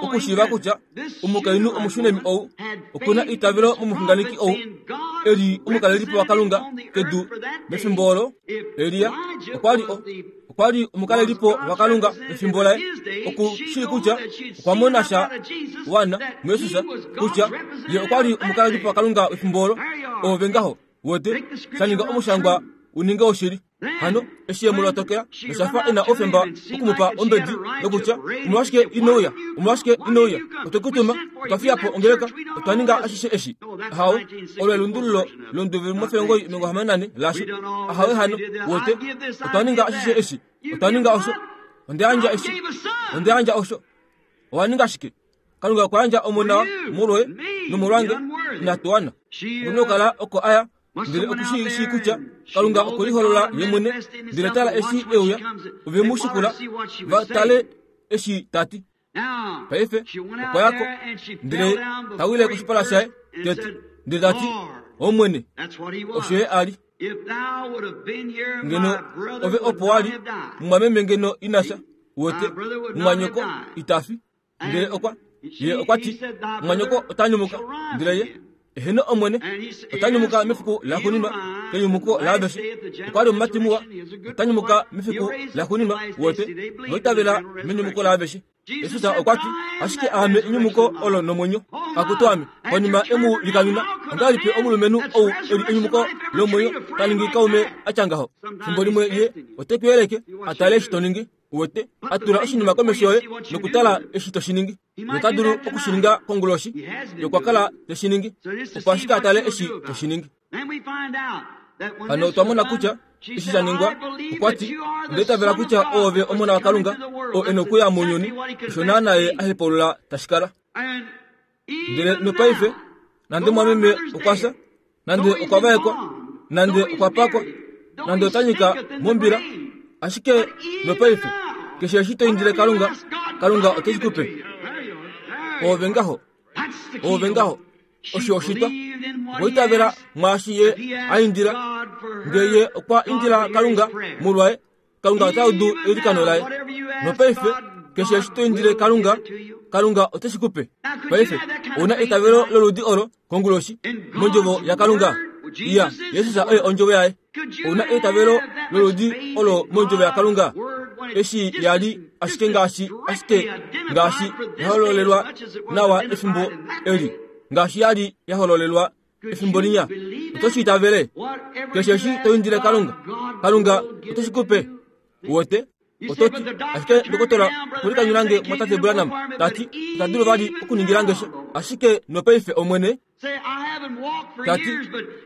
okushiiva kutya omukainhu omushunemi ou okuna eitavelo momuxunganeki ou e li omukalelipo waKalunga kedu mefimbo olo. Elia okwa li okwa li omukalelipo waKalunga mefimbo laye, oku shii kutya okwa mona sha wana muJesus kutya ye okwa li omukalelipo waKalunga mefimbo olo. Ove ngaho wete sha ninga omushangwa uninge oshili. Hano eshi ye mu lotokela nosha fa e na oufemba okumupa ombedi nokutya, omolwashike ino uya, omolwashike ino uya, otwe ku tuma, otwa fiya po ongeleka, otwa ninga ashishe eshi. Ahawe, olo elundululo londuve mofengo omilongo hamano nane lasho. Ahawe hano, wote, otwa ninga ashishe eshi, otwa ninga osho, onda yandja eshi, onda yandja osho. Owa ninga shike? Kalunga okwa yandja omona molwoye nomolwange, inatu wana. Okuna okukala oko aya, ndele oku shi shii kutya Kalunga okwe liholola ye mwene. Ndele tala eshi e uya, ove mu shikula va tale eshi ta ti. Paife okwa ya ko, ndele ta wile koshipala shaye tete, ndele ta ti, Omwene, osho ye a li. Ngeno ove opo wa li, mumwameme ngeno ina fya, wete, mumwanyoko ita fi. Ndele okwa, ye okwa ti, mumwanyoko ota nyumuka. Ndele ye, eheno Omwene, ota nyumuka mefiku laxuuninwa, kenyumuko laaveshe. Okwa li omumati muwa, ota nyumuka mefiku laxuuninwa, wete, noitavela menyumuko laaveshe. Jesus okwa ti, ashike aame enyumuko olo nomwenyo. Akutu ame, konima e mu likanyuna, ongahelipi omulumenhu ou e li enyumuko lomwenyo ta ningi kaume a tya ngaho? Fimbo limwe ye ote ku yeleke a tale eshi to ningi, wete, a tula oshinima komesho yoye nokutala eshi to shi ningi. Nota dulu okushininga konguloshi, ye okwa kala te shi ningi, opo ashike a tale eshi to shi ningi. Hano otwa mona kutya eshi sha ningwa, okwa ti, onda itavela kutya oove Omona waKalunga, oo e nokuya mounyuni, osho naana ye a hepaulula tashi kala. Ndele nopaife, nande mwameme okwa fya, nande okwa vaekwa, nande okwa pakwa, nande ota nyika mombila, ashike nopaife, keshe eshi to indile Kalunga, Kalunga ote shi ku pe. Oove ngaho, oove ngaho, osho oshitwa. Okwa itavela mwaashi ye a indila. Ndele ye okwa indila Kalunga molwaye, Kalunga ota udu eilikano laye. Nopaife, keshe eshi to indile Kalunga, Kalunga ote shi ku pe. Paife, ouna eitavelo loludi olo konguloshi, mondjovo yaKalunga. Iya, Jesus oye ondjovo yaye. Ouna eitavelo loludi olo mondjovo yaKalunga. Eshi ya li ashike ngaashi ashike ngaashi yahololelwa nawa efimbo eli, ngaashi ya li yahololelwa efimbo linya. Oto shi itavele? Keshe eshi to indile Kalunga, Kalunga ote shi ku pe. Wote, oto ti, ashike ndokotola okwe likanyuna mwatate Branham, ta ti, ita dulu vali okuningila nge sha, ashike nopaife Omwene, ta ti,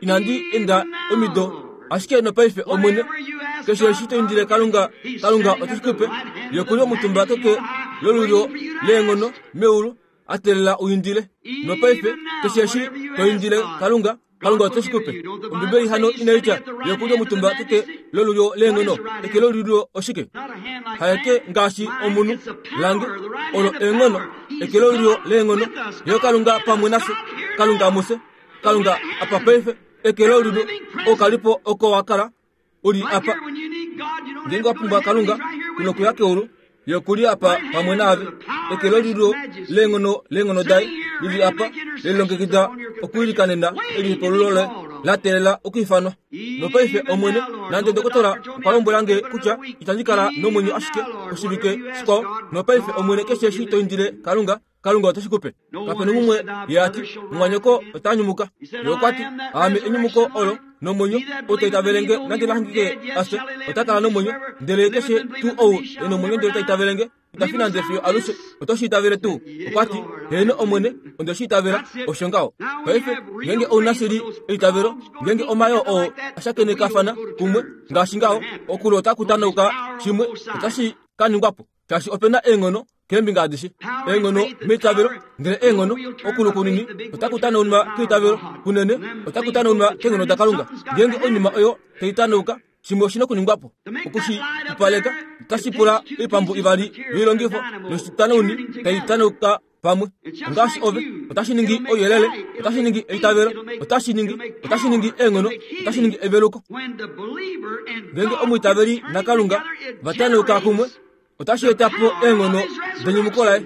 inandi enda omido, ashike nopaife Omwene, keshe eshi to indile Kalunga, Kalunga ote shi ku pe. Ye okuli omutumba keke lolulyo leenghono meulu, a teelela u indile. Nopaife, keshe eshi to indile Kalunga, Kalunga ote shi ku pe. Ombibeli hano inai tya ye okuli omutumba keke lolulyo leenghono. Eke lolulyo oshike? Haeke ngaashi omunhu lange, olo eenghono. Eke lolulyo leenghono, ye Kalunga pamwe nafye, Kalunga mufye, Kalunga apa paife. Eke lolulyo okalipo oko wa kala uli apa. Ngeenge wa pumbwa Kalunga, ku nokuya keulu, ye okuli apa pamwe naave. Eke lolulyo leenghono leenghono daye lili apa, lelilongekida okwiilikanena elihepaululo loye. la teelela okuifanwa. Nopaife Omwene, nande dokotola okwa lombwela nge kutya itandi kala nomwenyo ashike oshivike shikwao. Nopaife Omwene, keshe eshi to indile Kalunga, Kalunga ote shi kupe. Kapena umwe ye ati, mumwanyoko ota nyumuka. Ye okwa ti, aame enyumuko olo nomwenyo, ou ta itavele nge nande nahangike afye, ota kala nomwenyo. Ndele keshe tuu ou e nomwenyo ndele ta itavele nge, ita fi nande fiyo alushe. Oto shi itavele tuu? Okwa ti, heeno Omwene, onde shi itavela. Osho ngaho. Paife ngeenge ou na shili eitavelo, ngeenge omayoo oo ashakenekafana kumwe ngaashi ngaho, okulo otaku tanauka shimwe, otashi ka ningwa po, shaashi ope na eenghono keembinga adishe. Eenghono meitavelo, ndele eenghono okulu kunini otaku tanaunwa keitavelo, kunene otaku tanaunwa keenghono daKalunga. Ngeenge oinima oyo tai tanauka, shimwe oshina okuningwa po. Okushi pupaleka otashi pula oipambu ivali yoilongifo noshitanauni tai tanauka pamwe. Ngaashi ove, otashi ningi ouyelele, otashi ningi eitavelo, otashi ningi, otashi ningi eenghono, otashi ningi eveluko. Ngeenge omwiitaveli naKalunga va tanauka kumwe, otashi eta po eenghono denyumuko laye.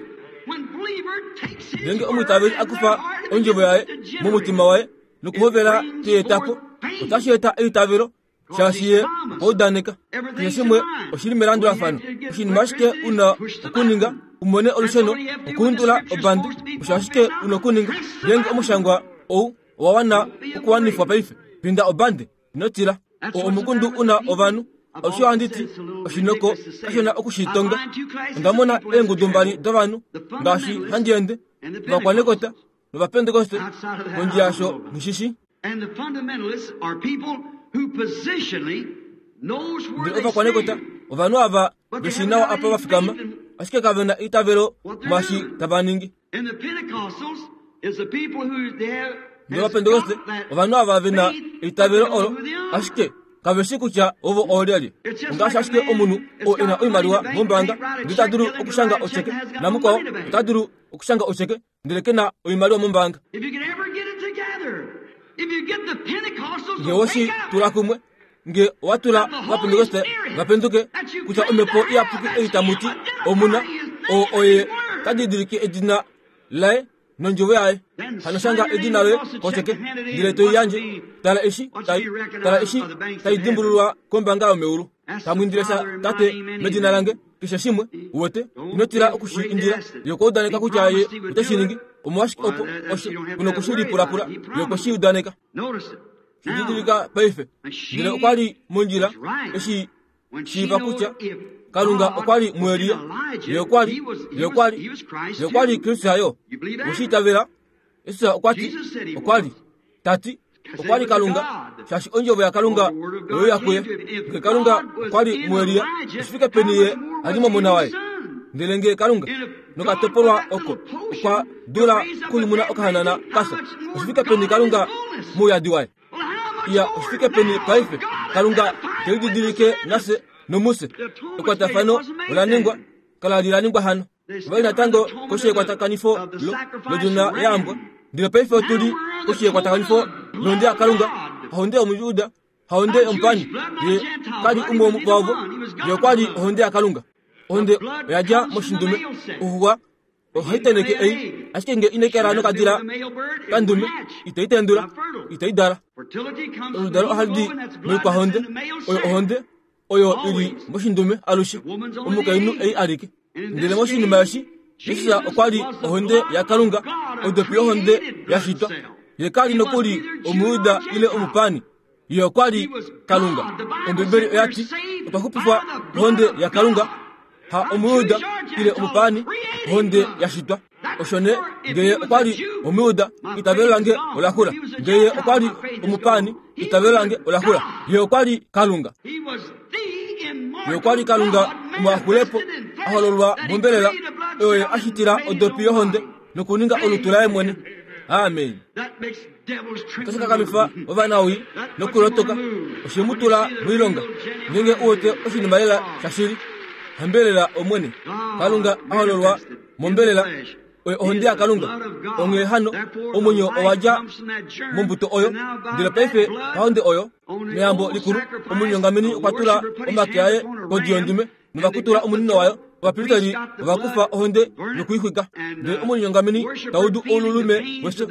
Ngeenge omwiitaveli a kufa ondjovo yaye momutima waye nokuhovela teeta po, otashi eta eitavelo, shaashi ye okwa udaneka. Keshe shimwe oshili melandulafano. Oshinima ashike una okuninga umone olusheno, okuundula obandi, osho ashike una okuninga. Ngeenge omushangwa ou owa wana okuwanifwa paife, pinda obandi, ino tila. O omukundu una ovanhu. Osho handi ti, oshinoko kashona okushitonga. Onda mona eengudu mbali dovanhu ngaashi handi ende, ovakwanekota novapentekoste, kondje yasho ngishishi. And the fundamentalists are people who positionally knows where Ndele they ovakwanekota stand. ovanhu ava veshi nawa apa va fikama, ashike kave na eitavelo mwaashi tava ningi. And the Pentecostals is the people who they have Ndele ovapentekoste ovanhu ava ve na eitavelo olo, ashike kave shi kutya ovo oolyelye. Ongaashi ashike omunhu oo e na oimaliwa mombaanga ndele ta dulu okushanga ocheke, namukwao ota dulu okushanga ocheke ndele ke na oimaliwa mombaanga. If you can ever get it together, if you get the Pentecostals Nge to woshi wake up, tula kumwe, nge owa tula ovapentekoste vapenduke kutya omhepo iyapuki ei tamu ti omuna, oo oye ta didilike edina laye nondjovo yaye. Hano shanga edina loye kocheke, ndele toi yandje. Tala eshi tai, tala eshi tai dimbululwa kombaanga yomeulu. Tamu indile sha Tate medina lange, keshe shimwe, uwete, ino tila okushi indila. Ye okwa udaneka kutya ye ote shi ningi. Omolwashike opo osho kuna okushi lipulapula, ye okwe shi udaneka. Notice it. Now, Shididilika paife. Ndele okwa li mondjila eshi shiiva kutya Kalunga okwa li muElia. Ye okwa li, ye okwa li, ye okwa li Kristus yo. Oshi itavela? Jesus okwa ti, okwa li, ta ti, okwa li Kalunga, shaashi ondjovo yaKalunga oyo ya kuye. Nge Kalunga okwa li muElia, oshifike peni ye a li momona waye? Ndele nge Kalunga nokatopolwa oko okwa dula kunyumuna okahanana kafya, oshifike peni Kalunga mouyadi waye? Iya, oshifike peni paife Kalunga te lididilike nafye nomuse. Ekwatafano ola ningwa, kala li la ningwa hano. Ova li natango koshi yekwatakanifo lo- lodjona yaambwa. Ndele paife otu li koshi yekwatakanifo lohonde yaKalunga, hahonde yomujuda, hahonde yomupani. Ye kali umwe wavo, ye okwa li ohonde yaKalunga. Ohonde oya dja moshindume, oxuxwa ohai teneke ei, ashike nge inai kala nokadila kandume, itai tendula, itai dala. Fertility comes from the Oludalo ohali di hemoglobin, that's blood that's moikwahonde, in the male oyo cell. ohonde oyo ili moshindume alushe, omukainhu ei alike. Ndele moshinima eshi, Jesus okwa li ohonde yaKalunga, odopi yohonde ya shitwa. Ye kali nokuli Omuyuda ile omupani, ye okwa li Kalunga. Ombibeli oya ti, otwa xupifwa kohonde yaKalunga, ha Omuyuda ile omupani, ohonde ya shitwa. Osho nee, nge ye okwa li Omuyuda, eitavelo lange ola xula. Nge ye okwa li omupani, eitavelo lange ola xula. Ye okwa li Kalunga. He was the immortal Ye okwa li Kalunga God omuaxulepo, manifested in flesh a hololwa that he mombelela, created a blood oyo ye cell a shitila and made his odopi own yohonde body. nokuninga olutu laye mwene. Amen. That makes devils Otashi tremble. kakamifa ovanawii nokulotoka, oshe mu tula moilonga. Ngeenge u wete oshinima lela shashili, hambelela Omwene. Kalunga a hololwa mombelela, oye ohonde yaKalunga. Onghee hano, omwenyo owa dja mombuto oyo, ndele paife pahonde oyo, meyambo likulu, omunyongameni okwa tula omake aye kodi yondume, novakutula omunino wayo Ovapristeri ovakufa ohonde nokuixwika. Ndele omulinyongameni taudu oululume wefyo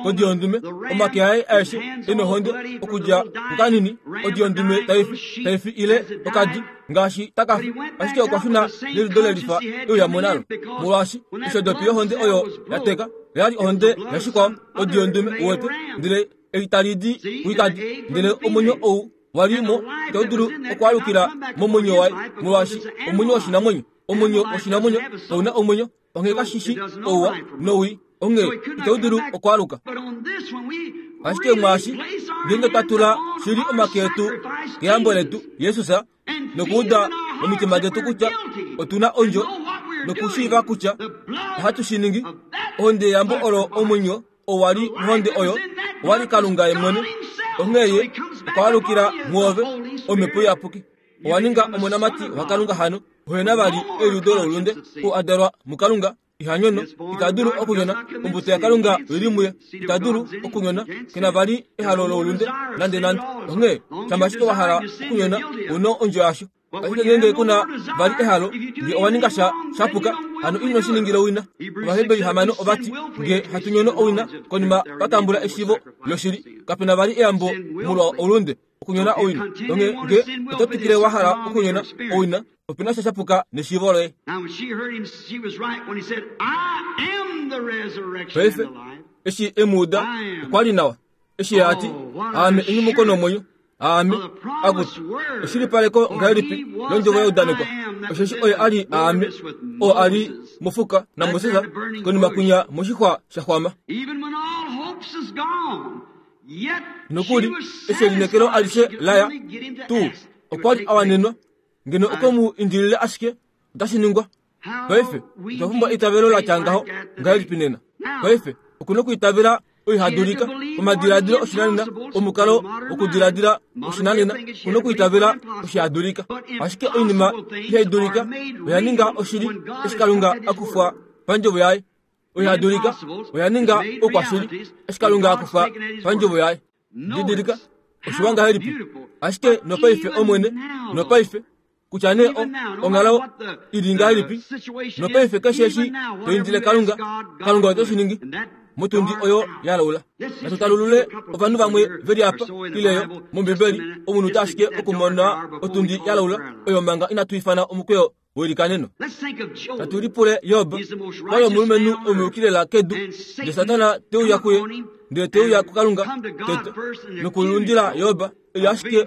kodi yondume, omake aye aeshe e nohonde okudja kukanini, odi yondume taifi taifi ile okadi ngaashi takafi, ashike okwa shuna neliudo lelifa euyamo nalo. Molwaashi oshodopi yohonde oyo yateka oyali ohonde yashikwao odi yondume uwete, ndele ei tali di kuikadi, ndele omwenyo ou walimo itau dulu okwaalukila momwenyo waye, molwaashi omwenyo woshinamwenyo, omwenyo woshinamwenyo ouna omwenyo, onghee kashishi ouwa nowii, onghee itau dulu okwaaluka. Ashike mwaashi ngeenge twa tula shili omake etu keyambo letu Jesus, nokuuda momitima detu kutya otuna ondjo, nokushiiva kutya ohatu shi ningi, ohonde yeyambo olo omwenyo owali mohonde oyo owali Kalunga ye mwene, onghee ye okwaalukila mwoove omhepo iyapuki. Owa ninga omonamati waKalunga hano, ohena vali eliudo loulunde, oo a dalwa muKalunga, iha nyono, ita dulu okunyona, ombuto yaKalunga oili muye, ita dulu okunyona, kena vali ehalo loulunde nande nande. Onghee shama ashike wa hala okunyona, ouna ondjo yasho. Ashike ngeenge kuna vali ehalo, nge owa ninga sha shapuka, hano ino shi ningila owina. Ovaheberi hamano ovati, nge hatu nyono owina, konima vatambula eshiivo loshili, kapena vali eyambo molwa oulunde, okunyona owina. Onghee nge oto twikile wa hala okunyona owina, opena sha shapuka neshiivo loye. Paife eshi emuuda okwa li nawa, eshi ati aame enyumuko nomwenyo, aame akuti eshilipaleko ngahelipi londjovo yaudanekwa, osheshi oye ali aame oo ali mofuka naMoses konima kwinya moshixwa shaxwama. Nokuli eshi elinekelo alishe laya tuu, okwa li awanenwa ngeno okwe mu indilile ashike otashi ningwa. Paife otwa pumbwa eitavelo la tya ngaho ngahelipi nena? Paife okuna okuitavela oihadulika omadiladilo oshinanena, omukalo wokudiladila oshinanena, okuna okuitavela oshihadulika. Ashike oinima ihaidulika oya ninga oshili eshi Kalunga akufwa pandjovo yaye. Oihadulika oya ninga oukwashili eshi Kalunga akufa pandjovo yaye. Didilika oshiwa ngahelipi? Ashike nopaife Omwene, nopaife kutya nee onghalo ili ngahelipi, nopaife keshe eshi to indile Kalunga, Kalunga ote shi ningi motundi oyo ya laula. Natu talulule ovanhu vamwe veli apa ileyo mOmbibeli, omunhu ta ashike okumona otundi ya laula oyo manga inatu ifana omukweyo welikaneno. Natu lipule Job, kwali omulumenhu omuyukilela kedu, ndele Satana te uya kuye, ndele te uya kuKalunga tete nokulundila Job eli ashike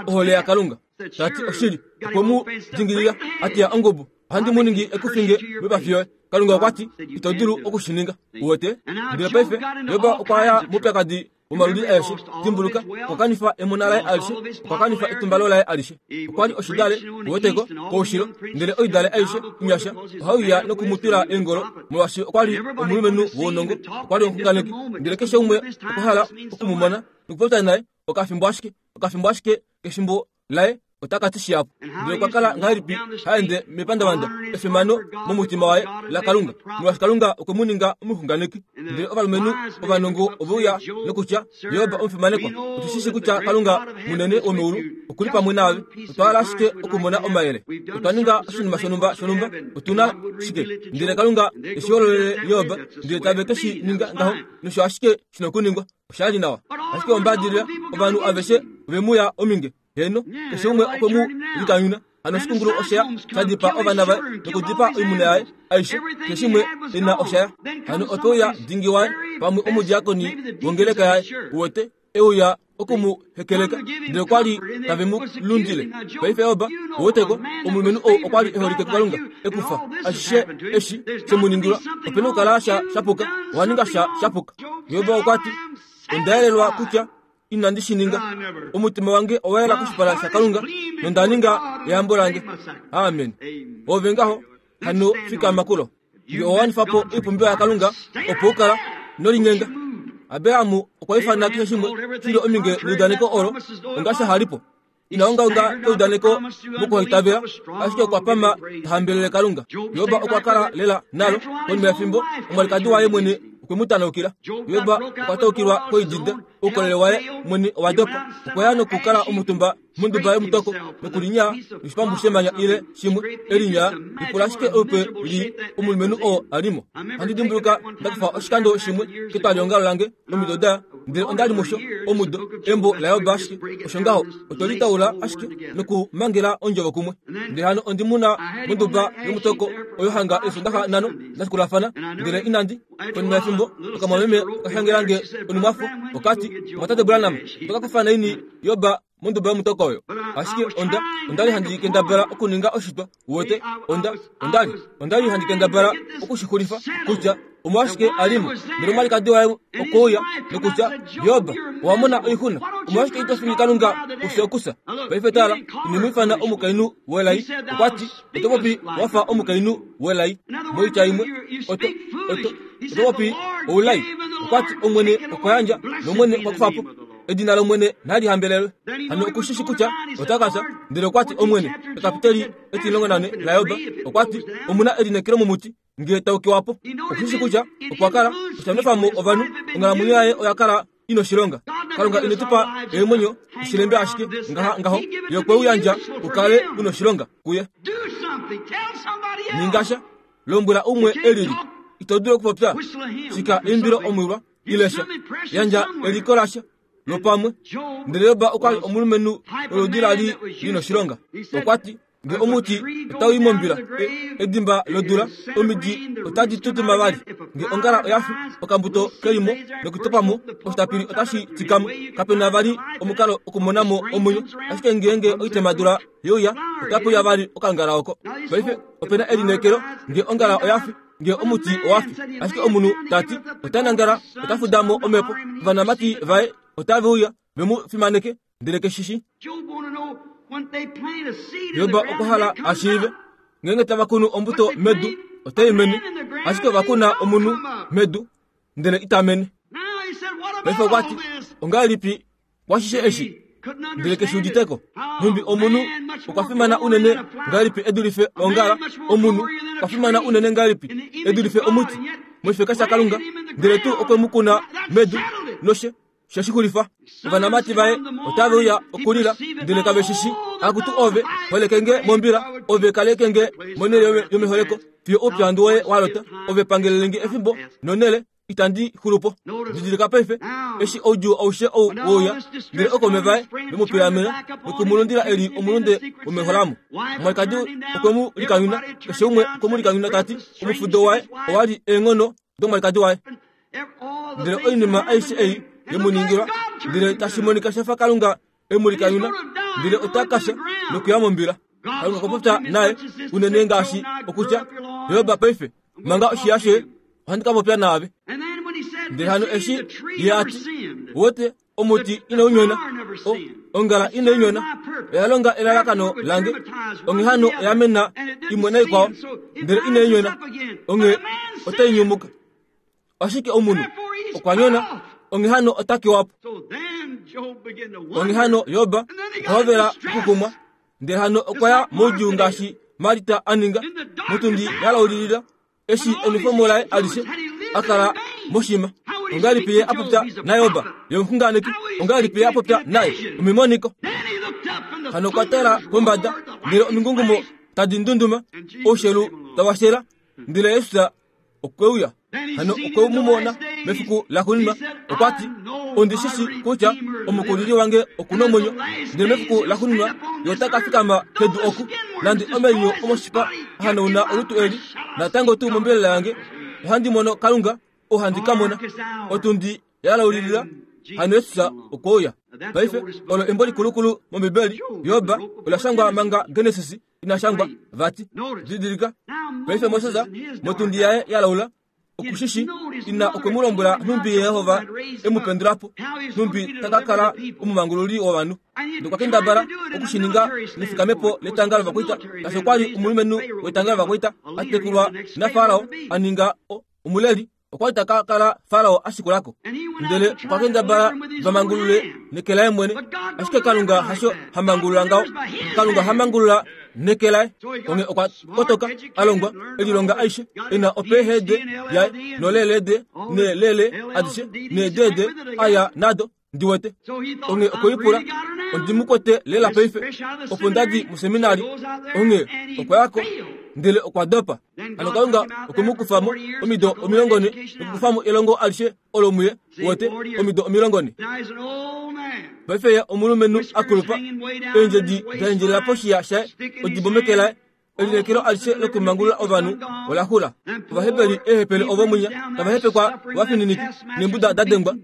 ohole yaKalunga. Tati oshili, okwe mu dingilila atiya ongubu, ohandi mu ningi ekufinge moipafi yoye. Kalunga okwa ti ito dulu okushininga, uwete. Ndele paife Job okwa ya moupyakadi womaludi aeshe. Dimbuluka, okwa kanifa emona laye alishe, okwa kanifa etumbalo laye alishe. Okwa li oshidale, uweteko, koushilo, ndele oidale aishe inyasha ohauya nokumutwila eengolo, molwaashi okwa li omulumenhu wounongo, okwa li omuxunganeki, ndele keshe umwe okwa hala okumumona nokupopya naye okafimbo ashike, okafimbo ashike kefimbo laye otaka ti shihapu. Ndele okwa kala ngahelipi haende mepandavanda efimano momutima waye laKalunga, molwaashi Kalunga okwe mu ninga omuxunganeki. Ndele ovalumenhu ovanongo oveuya nokutya, Job omufimanekwa, otu shi shi kutya Kalunga munene womeulu okuli pamwe naave, otwa hala ashike okumona omayele. Otwa ninga oshinima shonhumba shonhumba, otuna shike? Ndele Kalunga eshi hololele Job, ndele tave ke shi ninga ngaho, nosho ashike shina okuningwa. Oshali nawa. Ashike ombadilila ovanhu aveshe ovemuya ominge. Heno, keshe umwe okwe mu likanyuna. Hano oshikungulu osheya shadipa ovana vaye nokudipa oimuna yaye aishe, keshe imwe ena oshaya. Hano otwe uya dingi waye pamwe omudiakoni wongeleka yaye, uwete, euya okumu hekeleka, ndele okwa li tave mu lundile. Paife Job, uweteko, omulumenhu ou okwa li eholike kuKalunga, ekufa ashishe eshi she mu ningilwa, opena okukala sha shapuka, owa ninga sha shapuka. Job okwa ti, onda yelelwa kutya inandi shi ninga, omutima wange owa yela koshipala shaKalunga, nonda ninga eyambo lange. Amen. Ove ngaho hano fikama kulo. Nge owa wanifa po oipumbiwa yaKalunga, opo u kala nolinyenga. Abraham okwa ifana keshe shimwe shili ominge neudaneko olo onga sha halipo. Ina ongaonga keudaneko mokuhaitavela, ashike okwa pama ta hambelele Kalunga. Job okwa kala lela nalo konima yefimbo, omwalikadi waye mwene okwe mu tanaukila. Job okwa taukilwa koidida, oukolele waye mwene owa dopa. Okwa ya nokukala omutumba monduba yomutoko nokulinya oshipambu shemanya ile shimwe elinya lipula ashike olupe li omulumenhu oo alimo. Ohandi dimbuluka ndakufa oshikando shimwe ketwaliongalo lange omido da, ndele onda li musho omudo embo laJob ashike osho ngaho otoli taula ashike nokumangela ondjovo kumwe. Ndele hano ondi muna monduba yomutoko oyo hanga eesondaxa nhano dashikulafana, ndele inandi konima yefimbo okamwameme okashangelange onumwafo okati, Mwatate Branham, otoka kufa naini Job monduba yomutoko oyo? Ashike onda ondali handi kendabala okuninga oshitwa uwete, onda ondali ondali handi kendabala okushixulifa kutya omolwashike alimo. Ndele omwalikadi waye okouya nokutya, Job, owa mona oixuna, omolwashike ito fingi Kalunga ufye okusa? Paife tala, ine mu ifana omukainhu welai. Okwati, oto popi wafa omukainhu welai. Moitya imwe, oto oto oto popi oulai. Okwati, Omwene okwa yandja nOmwene okwa kufa po. Edina lOmwene nali hambelelwe. Hano okushishi kutya ota ka fya. Ndele okwati, Omwene, ekapiteli etilongo nane laJob, okwati, omuna elineekelo momuti ngee taukiwa po. Okushishi kutya okwa kala oshanwefamo ovanhu, onghalamwenyo yaye oya kala ina oshilonga. Kalunga ine tu pa eemwenyo oshilembe ashike ngaha ngaho, ye okwe u yandja u kale una oshilonga kuye. Ningasha, lombwela umwe elili, ito dulu okupopya, shika eimbilo omwilwa ile sha, yandja eliko lasha lopamwe. Ndele Job okwa li omulumenhu woludi la li lina oshilonga. Okwati, nge omuti otau i mombila, edimba lodula, omidi otadi tutuma vali. Nge ongala oya fi, okambuto kelimo nokutopamo, oshitapili otashi tikamo. Kapena vali omukalo okumonamo omwenyo, ashike ngeenge oitemadula yeuya, otape uya vali okangala oko. Paife opena elineekelo nge ongala oya fi, nge omuti owa fi, ashike omunhu tati ota nangala, ota fudamo omhepo, ovanamati vaye otave uya vemu fimaneke, ndele keshishi. Job okwa hala a shiive ngeenge tava kunu ombuto medu otai mene, ashike ova kuna omunhu medu ndele ita mene. Paife okwati, ongahelipi kwashishe eshi? Ndele keshi uditeko. Nhumbi omunhu okwa fimana unene ngahelipi e dulife ongala, omunhu okwa fimana unene ngahelipi e dulife omuti moshifeka shaKalunga, ndele tuu okwe mu kuna medu noshe sheshixulifa. Ovanamati vaye otave uya okulila, ndele kave shishi. Akutu ove, holekenge mombila, ove kalekenge monhele yomeholeko, fiyo oupyandu woye wa lota. Ove pangelelenge efimbo nonhele, itandi xulupo. Didilika paife, eshi oudjuu aushe ou wouya, ndele okaume vaye vemupilamena nokumulundila eli omulunde womeholamo. Omwalikadi okwe mu likanyuna, keshe umwe okwe mu likanyuna tati omufudo waye owa li eenghono domwalikadi waye. Ndele oinima aishe ei yemuningilwa, ndele tashi monika shafa Kalunga emulikanyuna, ndele ota kasha nokuya mombila. Kalunga okwa popya naye unene ngaashi okutya, Job paife manga oshiya shoye, ohandi ka popya naave. Ndele hano eshi ye ati, wote omuti inau nyona, ongala inai nyona, oya longa elalakano lange, onghee hano oya mena imwe naikwao, ndele inai nyona, onghee otai nyumuka. Ashike omunhu okwa nyona, onghee hano ota kewa po. Onghee hano Job okwa hovela okukumwa, ndele hano okwa ya moudjuu ngaashi Marita a ninga, motundi yalaulilila, eshi enwefomo laye alishe a kala moshima. Ongahelipi ye a popya naJob ye omuxunganeki? Ongahelipi ye a popya naye omimoniko? Hano okwa tala pombada, ndele omingungumo tadi ndunduma, oushelu tawashela, ndele Jesus okwe uya. Hano okwe mu mona mefiku laxuuninwa. Okwati, ondi shishi kutya omukulili wange okuna omwenyo, ndele mefiku laxuuninwa ye ota ka fikama kedu oku, nande omenyo omoshipa hanauna olutu eli, natango tuu mombelela yange ohandi mono Kalunga, ohandi ka mona. Otundi yalaulilila, hano Jesus okwe uya. Paife olo embo likulukulu mOmbibeli, Job, ola shangwa manga Genesis ina shangwa vati. Didilika paife Moses motundi yaye yalaula, okushishi ina okwe mu lombwela nhumbi Yehova emupendulapo, nhumbi taka kala omumangululi wovanhu. Nokwa kendabala okushininga nefikamepo letanga lovakwaita, ngaashi okwa li omulumenhu wetanga lovakwaita a tekulwa naFarao, a ninga omuleli Okwa li taka kala Farao ashikulako. Ndele okwa kendabala vamangulule neke laye mwene. Ashike Kalunga hasho hamangulula ngaho. Kalunga hamangulula neke laye. Onge okwa kotoka alongwa elilonga aishe ena opehede yaye nolelede nelele adishe nedede aya nado ndiwete. Onge okoipula ondimukwete lela paife opo ndadi museminari. Onge okwayako ndele okwa dopa. Ano Kalunga okumukufamo omido omilongone nokukufamo elongo alishe olomuye wote omido omilongone. Paife ye omulumenhu akulupa eendjedi daendjelela poshiya shaye odibomekelaye elinekelo alishe lokumangulula ovanhu ola xula. Ovaheberi eehepele ovomunya tava hepekwa ovafininiki neembuda dadengwa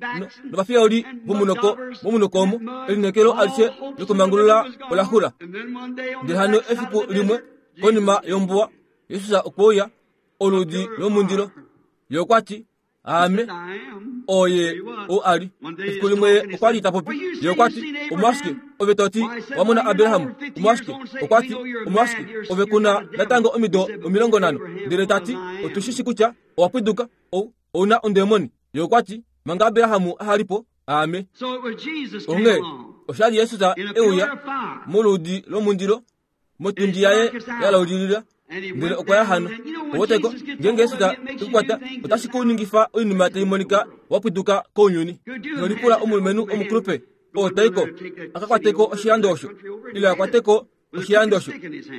novafiyauli vomunoko momunoko omo elinekelo alishe lokumangulula ola xula. Ndele hano efiku limwe konima yombuwa Yesus okweuya oludi lomundilo ye okwati aame oye o ali. Efiku limwe okwa li tapopi ye okwati omwashike ove toti wamona Abrahamu omwashike okwati omwashike ove kuna natango omido omilongo nhano. Ndele tati otushishi kutya owapwiduka ou ouna ondemoni. Ye okwati manga Abrahamu ahalipo aame. Onge oshali Yesus euya moludi lomundilo motundi yaye yalaulilila ndele okwa ya hano. Owoteko ngenge Yesus tekukwata otashi kuningifa oinima tai monika wapwiduka kounyuni. Nolipula omulumenhu omukulupe oo taiko akakwateko oshilando osho ile akwateko oshilando osho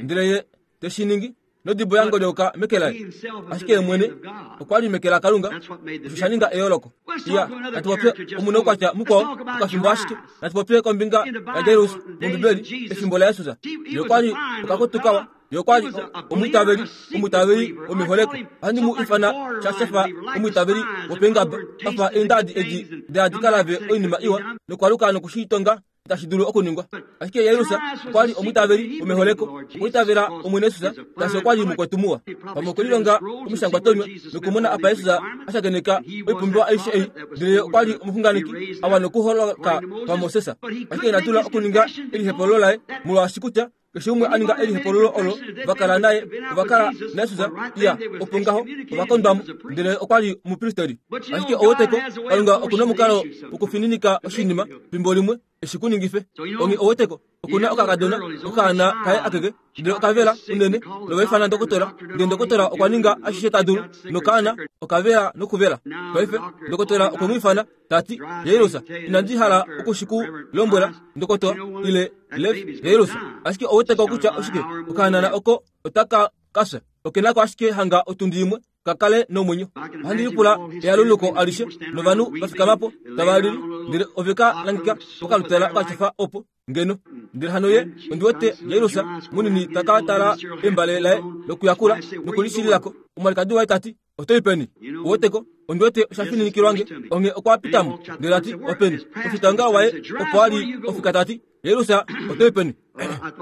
ndele ye teshiningi nodibo yango lyoka meke laye. Ashike ye mwene okwa li meke la Kalunga osho sha ninga eyooloko. Iya natupopye omuna okwatya mukwao okafimbo ashike natupopye kombinga yaJairus mOmbibeli efimbo laYesus. Ye okwa li okakutukawa ye okwa li omwiitaveli omwiitaveli womiholeko. Ohandi mu ifana shashafa omwiitaveli wopengaba afa eendadi edi deadikalave oinima iwa nokwaluka nokushiitonga itashi dulu okuningwa. Ashike Jairus okwa li omwiitaveli womeholeko okwiitavela Omwene Yesus tashi okwa li mukwetumuwa. Pamwe okwelilonga omishangwatonywa nokumona apa Yesus ashakeneka oipumbiwa aishe ei. Ndele okwa li omuxunganeki awa nokuholoka paMoses. Ashike ina dula okuninga elihepolo laye molwaashi kutya keshe umwe aninga elihepololo olo vakala naye ovakala naYesus iya opo ngaho ovakondwamo. Ndele okwa li omupristeri. Ashike oweteko Kalunga okuna omukalo wokufininika oshinima fimbo limwe eshi kuningife. Onge oweteko okuna okakadona okaana kaye akeke ndele okavela unene novaifana ndokotola. Ndele ndokotola okwa ninga ashishe ta dulu nokaana okavela nokuvela. Paife ndokotola okwe mu ifana tati Jairus inandi hala okushiku lombwela ndokotola ile Lev Jairus. Ashike oweteko kutya oshike okaanana oko otaka kafya okenako ashike hanga otundi imwe kakale nomwenyo. Ohandi lipula eyaluluko alishe novanhu vafikamapo tava lili ndele oveka langika okalutala okachafa opo ngeno. Ndele hano ye ondiwete Jairus munini taka tala embale laye lokuyakula nokulishililako. Omwalikadi waye tati otoi peni? Oweteko ondiwete oshafininikilwange. Onge okwa pitamo ndele ati openi? Ofitanga waye opo ali ofika tati Jairus otoi peni?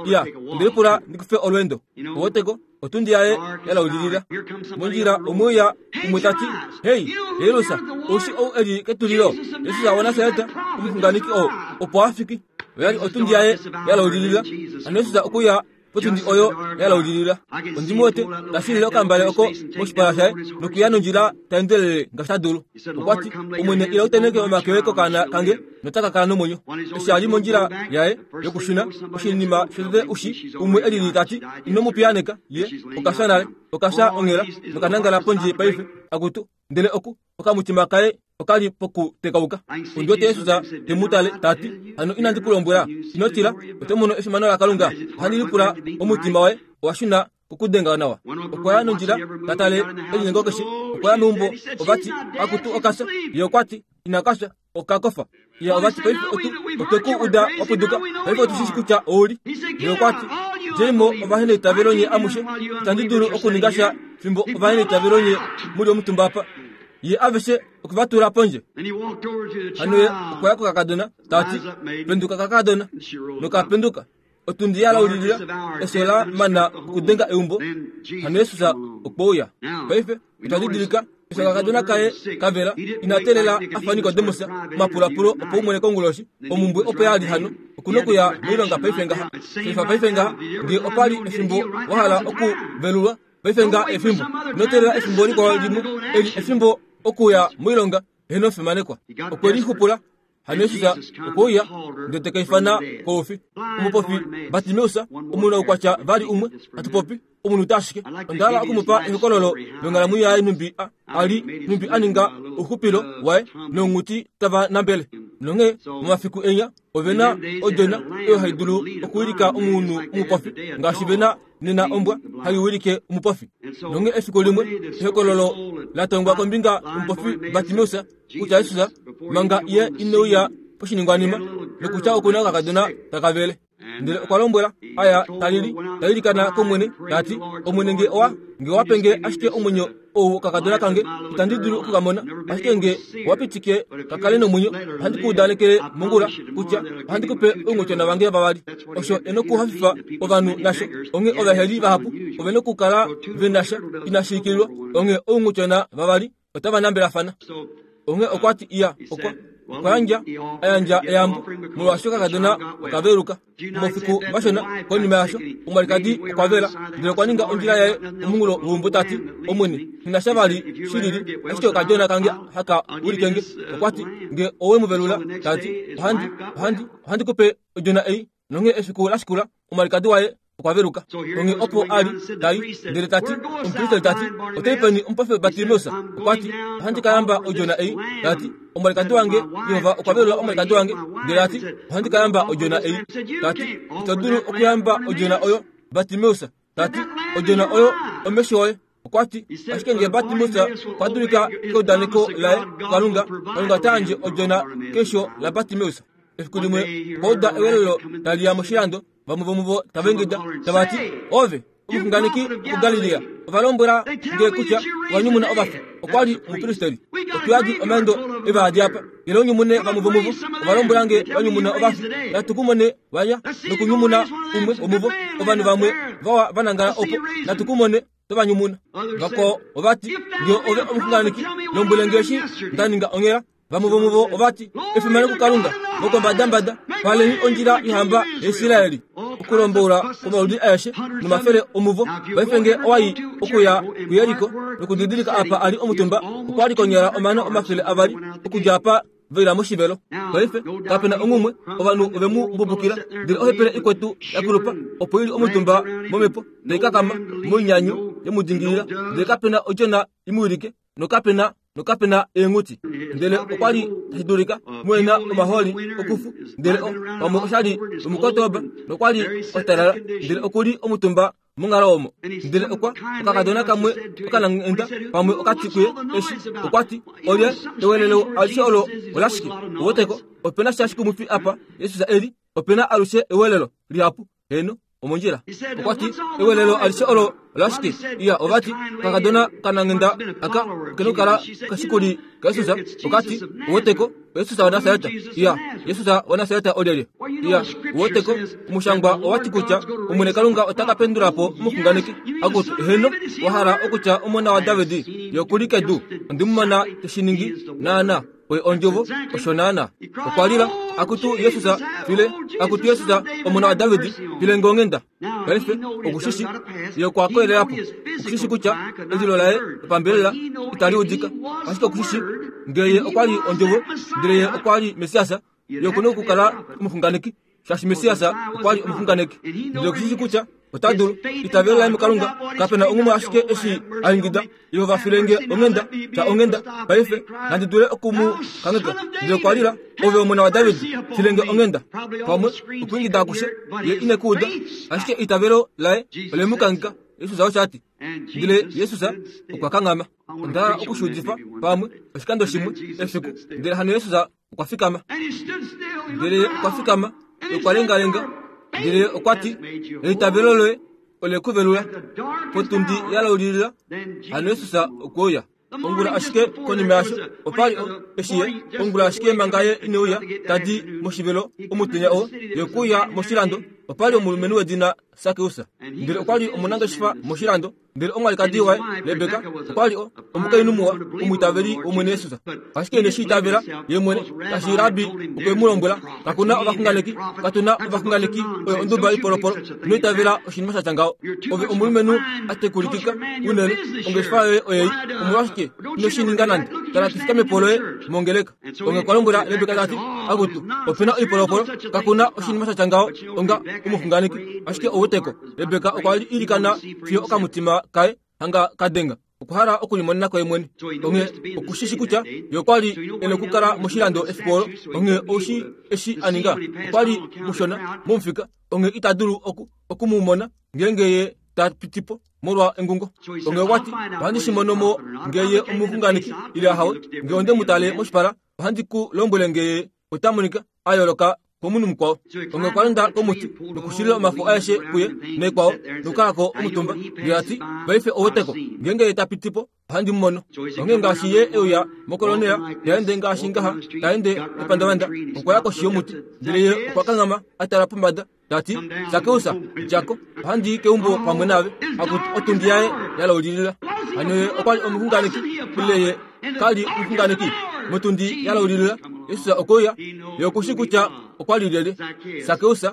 Iya ndelipula ndikufe olwendo. Oweteko otundi yaye yalaulilila mondjila omwiya umwe tati hei Jairus oshi ou eli ketulilo Yesus wa Nasareta omuxunganeki oo opo afiki. Oyali otundi yaye yalaulilila. Ano Yesus okuya potundi oyo yalaulilila. Ondimuwete tashilile okambale oko moshipala shaye nokuya nondjila taendelele ngaashi ta dulu. Okwati Omwene ila uteneke omake oye kokaana kange notaka kala nomwenyo. Eshi ali mondjila yaye yokushuna oshinima shotete ushi umwe elili tati ino mu piyaaneka ye okafya nale okafya onghela nokanangala pondje paife akutu. Ndele oku okamutima kaye okali pokutekauka. Ondiwete Yesus temutale tati hano inandi kulombwela ino tila oto mono efimano laKalunga. Ohandi lipula omutima waye owashuna kokudenga nawa. Okwaya nondjila tatale elinyengo keshe. Okwaya meumbo ovati akutu okafya. Ye okwati inakafya okakofa. Ye ovati paife otu otweku uda wapuduka paife otushishi kutya ouli. Ye okwati djeimo ovaheneitavelo nye amushe itandi dulu okuninga sha fimbo ovaheneitavelo nye muli omutumba apa. Ye aveshe okuvatula pondje. Hano ye okwaya kokakadona tati penduka kakadona nokapenduka. Otundi yalaulilila efyo la mana okudenga eumbo. Hano Yesus okweuya. Paife otwa didilika efyo kakadona kaye kavela inatelela afa Nikodemus omapulapulo opo umwene konguloshi omumbwe opo yali hano okunokuya moilonga paife ngaha. Fifa paife ngaha ngee opali efimbo wahala okuvelulwa paife ngaha efimbo inotelela efimbo likwao limwe eli efimbo Okuya moilonga heno fimanekwa. Okwe lixupula hano Jesus okwe uya ndele te ka ifana koufi. Omupofi Bartimeus omunhu oukwatya vali umwe hatu popi omunhu ashike. Onda hala okumupa ehokololo longhalamwenyo yaye nhumbi a li nhumbi a ninga ouxupilo waye nounghuti tava nambele. Nonghee momafiku enya ovena odjona oyo hai dulu okuwilika omunhu omupofi ngaashi vena nena ombwa hai wilike omupofi. Nonghee efiku limwe ehokololo la tongwa kombinga yomupofi Bartimeus kutya Jesus manga ye ineuya poshiningwanima nokutya okuna okakadona taka vele. Ndele okwa lombwela aya talili tailikana kOmwene tati Omwene nge owa nge owa penge ashike omwenyo ou okakadona kange itandi dulu okukamona ashike nge owa pitike kakale nomwenyo ohandi ku udanekele mongula kutya ohandi kupe ounghotyona vange vavali. Osho e nokuhafifa ovanhu nasho onghee ovaheli vahapu ove nokukala venasha inashi ikililwa onghee ounghotyona vavali otava nambelafana. Onghee okwati iya okwa okwa yandja ayandja eyambo molwaashi okakadona okaveluka. Momafiku mashona konima yasho omwalikadi okwa vela ndele okwa ninga ondjila yaye omunghulo weumbo tati Omwene nghinasha vali shilili ashike okadjona kange haka wilikenge. Okwati nge owe mu velula tati ohandi ohandi ohandi kupe odjona ei. Nonghee efiku lashikula omwalikadi waye okwa veluka. Onghee opo ali tai ndele tati omupristeli tati otai peni omupofi Bartimeus. Okwati ohandi ka yamba odjona ei. Tati omwalikadi wange Jehova okwa velula omwalikadi wange ndele ati ohandi ka yamba odjona ei. Tati ito dulu okuyamba odjona oyo Bartimeus. Tati odjona oyo omesho oye. Okwati ashike nge Bartimeus okwa dulika keudaneko laye Kalunga, Kalunga ota yandje odjona kesho la Bartimeus. Efiku limwe okwa uda ewelelo tali ya moshilando vamwe vomuvo tava ingida tava ti ove omuxunganeki wokuGalilea ova lombwela nge kutya owa nyumuna ovafi. Okwa li omupristeli. Otuyadi omaendo evaadi apa ile onyumune vamwe vomuvo ova lombwela nge va nyumuna ovafi. Natu kumone waya nokunyumuna umwe womuvo ovanhu vamwe vawa vanangala opo natu kumone tovanyumuna. Vakwao ovati nge ove omuxunganeki lombwele nge eshi nda ninga onghela. Vamwe vomuvo ovati efimano kuKalunga vokombadambada paleni ondjila yohamba yaIsraeli. Okulombola kwomaludi aeshe nomafele omuvo paife nge owai okuya kuYeriko nokudidilika apa ali omutumba okwa li konyala omano omafele avali okudja apa vaila moshivelo. Paife kapena onghumwe ovanhu ove mu mbubukila ndele ohepele ikwetu yakulupa opo ili omutumba momhepo taikakama moinyanyu yemudingilila ndele kapena odjona imuwilike nokapena nokapena eenghuti. Ndele okwa li tashi dulika muena omaholi okufu ndele pamwe oshali omukotoba nokwa li otalala ndele okuli omutumba monghalo omo. Ndele okwa okakadona kamwe okanangenda pamwe okati kuye eshi okwati olye ewelelo alishe olo olashike owoteko opena sha shikumufi apa Jesus eli opena alushe ewelelo lihapu heno omondjila. Okwati ewelelo alishe olo olashike iya ovati kakadona kanangenda aka kenokala kashikuli kaJesus okati owoteko Jesus wa Nasareta iya Jesus wa Nasareta olyelye iya owoteko omushangwa owati kutya Omwene Kalunga otaka pendulapo omuxunganeki akutu heno wahala okutya omona wa David yokuli kedu ondimumona teshiningi naana oye ondjovo osho naana. Okwa lila akutu Jesus file akutu Jesus omona wa David file ngongenda. Paife okushishi ye okwa koelelapo okushishi kutya elilo laye lopambelela itali udika ashike okushishi ngeye okwa li ondjovo ndele ye okwa li Mesiasa ye okuna okukala omuxunganeki shaashi Mesiasa okwa li omuxunganeki. Ndele okushishi kutya ota dulu itavelo laye muKalunga kapena onghumwe ashike eshi a ingida Jehova filenge onghenda ta onghenda paife nandi dule okumu kangheka. Ndele okwa lila ove omona wa David filenge onghenda pamwe okuingida akushe ye ine kuuda ashike itavelo laye ole mu kangheka. Jesus osho ati ndele Jesus okwa kanghama. Onda hala okushuudifa pamwe oshikando shimwe efiku ndele hano Jesus okwa fikama ndele okwa fikama okwa lengalenga ndele okwati eitavelo loye ole kuvelula potundi yalaulilila hano Jesus okwe uya. Ongula ashike konima yasho opali eshi ye ongula ashike manga ye ineuya tadi moshivelo omutenya oo ye okuya moshilando Opa li omulumenhu wedina Sakeus, ndele okwa li omunangeshefa moshilando, ndele omwalikadi waye Rebeka okwa li omukainhu muwa, omwiitaveli wOmwene Jesus. Ashike ine shi itavela ye mwene, ngaashi Rabbi okwe mu lombwela, kakuna ovaxunganeki, katuna ovaxunganeki, oyo onduba ipolopolo, ino itavela oshinima sha tya ngaho. Ove omulumenhu a tekulikika unene, ongeshefa yoye oyei, omolwashike ino shi ninga nande? Tala tufikame po loye mongeleka. Onge okwa lombwela Rebeka tati, akutu, opena oipolopolo, kakuna oshinima sha tya ngaho onga omuxunganeki. Ashike ouweteko, Rebeka okwa li ilikana fiyo okamutima kaye hanga kadenga, okwa hala okulimonena koye mwene. Onge okushishi kutya ye okwa li e nokukala moshilando efiku olo. Onge oushi eshi a ninga, okwa li mushona momufika, onge ita dulu oku okumumona ngeenge ye ta pitipo molwa engungo. Onge okwati, ohandi shi mono mo ngeye omuxunganeki ile ahawe, nge onde mu tale moshipala, ohandi ku lombwele ngeye ota monika a yooloka komunhu mukwao. Onge okwa londa komuti nokushilila omafo aeshe kuye nekwao nokukalako omutumba. Ndele ati, paife ouweteko, ngeenge ye ta pitipo ohandi mu mono. Onge ngaashi ye euya mokolonela, ta ende ngaashi ngaha, ta ende epandavanda, okwa ya koshi yomuti, ndele ye okwa kanghama a tala pombada, tati, Sakeus, djako, ohandi i keumbo pamwe naave. Akutu otundi yaye ya laulilila. Hano ye okwa li omuxunganeki, ile ye ka li omuxunganeki? Motundi ya laulilila, Jesus okwe uya, ye okushi kutya okwa li lyelye. Sakeus,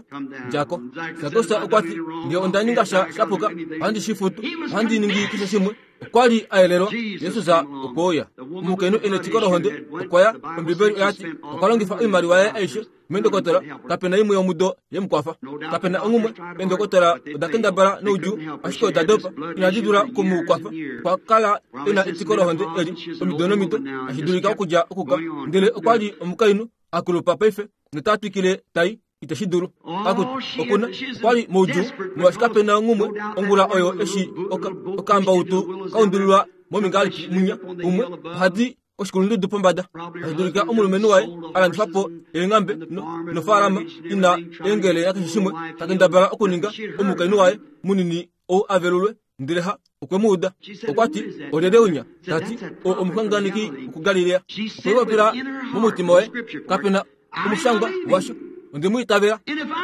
djako. Sakeus okwa ti, nge onda ninga sha shapuka, ohandi shi futu, ohandi ningi keshe shimwe. Okwa li a yelelwa, Jesus okwe uya. Omukainhu e netiko lohonde okwa ya, Ombibeli oya ti, okwa longifa oimaliwa yaye aishe meendokotola, kapena imwe yomudo ye mu kwafa. Kapena onghumwe, eendokotola oda kendabala noudjuu, ashike oda dopa, inadi dula okumu kwafa. Okwa kala e na etiko lohonde eli omido nomido, tashi dulika okudja okuka. Ndele okwa li omukainhu a kulupa paife, nota twikile tai, iteshi dulu. Akutu, okuna, okwa li moudjuu, molwaashi kapena onghumwe ongula oyo eshi oka, okambautu kaundulilwa momingalipi munya umwe, ohadi koshikulundudu pombada. Tashi dulika omulumenhu waye a landifa po eenghambe no, nofaalama ina eengele nakeshe shimwe, ta kendabala okuninga omukainhu waye munini ou a velulwe, ndele ha okwe mu uda. Okwa ti, olyelye unya? Ta ti, o omuxunganeki wokuGalilea. Okwe lipopila momutima waye, kapena omushangwa washo, onde mu itavela,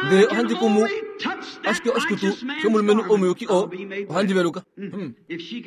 ndele ohandi kumu ashike oshikutu shomulumenhu omuyuki oo, ohandi veluka. Hmm.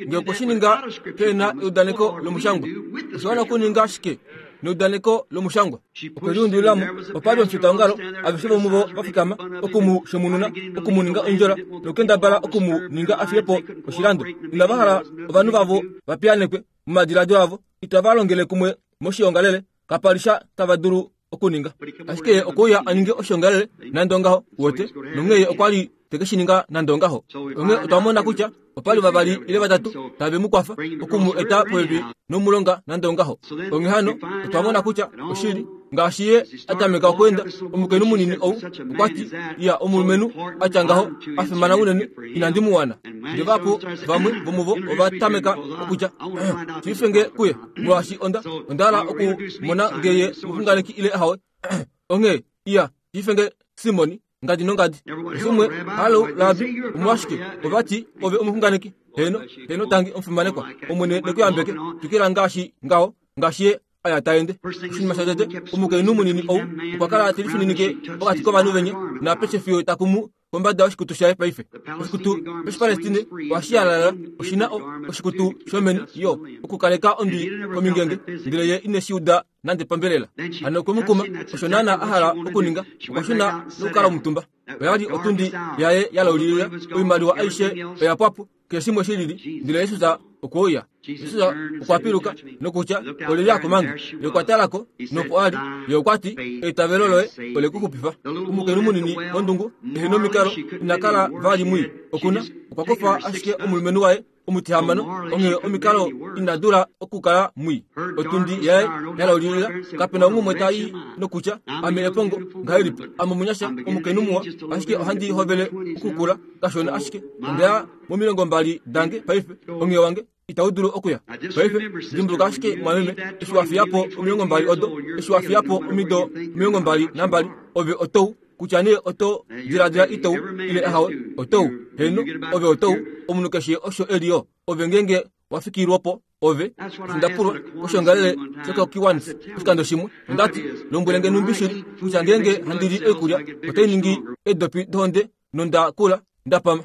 Nge okwe shi ninga pena eudaneko lomushangwa, osha wana okuninga ashike neudaneko lomushangwa. Okwe liundulilamo, opa li omufitaongalo, aveshe vomuvo va fikama oku mu shemununa, oku mu ninga ondjola, nokukendabala oku mu ninga a fiye po oshilando. Inava hala ovanhu vavo va piyaanekwe momadiladilo avo, itava longele kumwe moshiongalele, kapa li sha tava dulu okuninga. Ashike ye okwe uya a ninge oshiongalele nande ongaho, uwete, nonghee ye okwa li te ke shi ninga nande ongaho. Onghee otwa mona kutya opa li vavali ile vatatu tave mu kwafa oku mu eta popepi nomulonga nande ongaho. Onghee hano otwa mona kutya oshili, ngaashi ye a tameka okweenda, omukainhu munini ou okwa ti, ya omulumenhu a tya ngaho a fimana unene, inandi mu wana. Ndele vahapu vamwe vomuvo ova tameka okutya, shiife nge kuye, molwaashi onda, onda hala okumona nge ye omuxunganeki ile ahawe. Onghee, iya, shiife nge Simoni, ngadi nongadi. Shimwe, halo, Rabbi, omolwashike ova ti ove omuxunganeki? Heno, heno tangi omufimanekwa, Omwene nekuyambeke, twikila ngaashi ngaho, ngaashi ye aya ta ende. Oshinima shotete, omukainhu munini ou okwa kala te lifininike pokati kovanhu venye, napeshe fiyo ta kumu kombada yoshikutu shaye paife. Oshikutu shOshipalestine ohashi yalala, oshina oshikutu shomeni yo okukaleka ondwi komingenge, ndele ye ine shi uda nande pambelela. Hano okwe mu kuma, osho naana a hala okuninga, okwa shuna nokukala omutumba. Oya li otundi yaye ya laulilila, oimaliwa aishe oya pwa po, keshe shimwe shi lili, ndele Jesus okwe uya. Jesus okwa piluka nokutya, olyelye a kumange? Ye okwa talako nopo a li, ye okwa ti, eitavelo loye ole ku xupifa. Omukainhu munini wondungu ehe nomikalo ina kala vali mwii, okuna okwa kufa ashike omulumenhu waye omutihamano, onghee omikalo ina dula okukala mwii. Otundi yaye ya laulilila, kapena umwe ta i nokutya, ame epongo ngahelipi, ame omunyasha omukainhu muwa, ashike ohandi hovele okukula kashona ashike, onda ya momilongo mbali dange paife, onghee wange itau dulu okuya. Paife dimbuluka ashike mwameme, eshi wa fiya po omilongo mbali odo, eshi wa fiya po omido omilongo mbali nambali, ove otou kutya nee oto diladila itou ile ahawe, otou heno, ove otou, omunhu keshe osho e li yo, ove ngeenge Wafikilwapo ove ndapulwa oshongalele shokokiwans oshikando shimwe ondati lombwelenge numbishili kutya ngenge handili oikulya otainingi edopi dohonde nondakula ndapama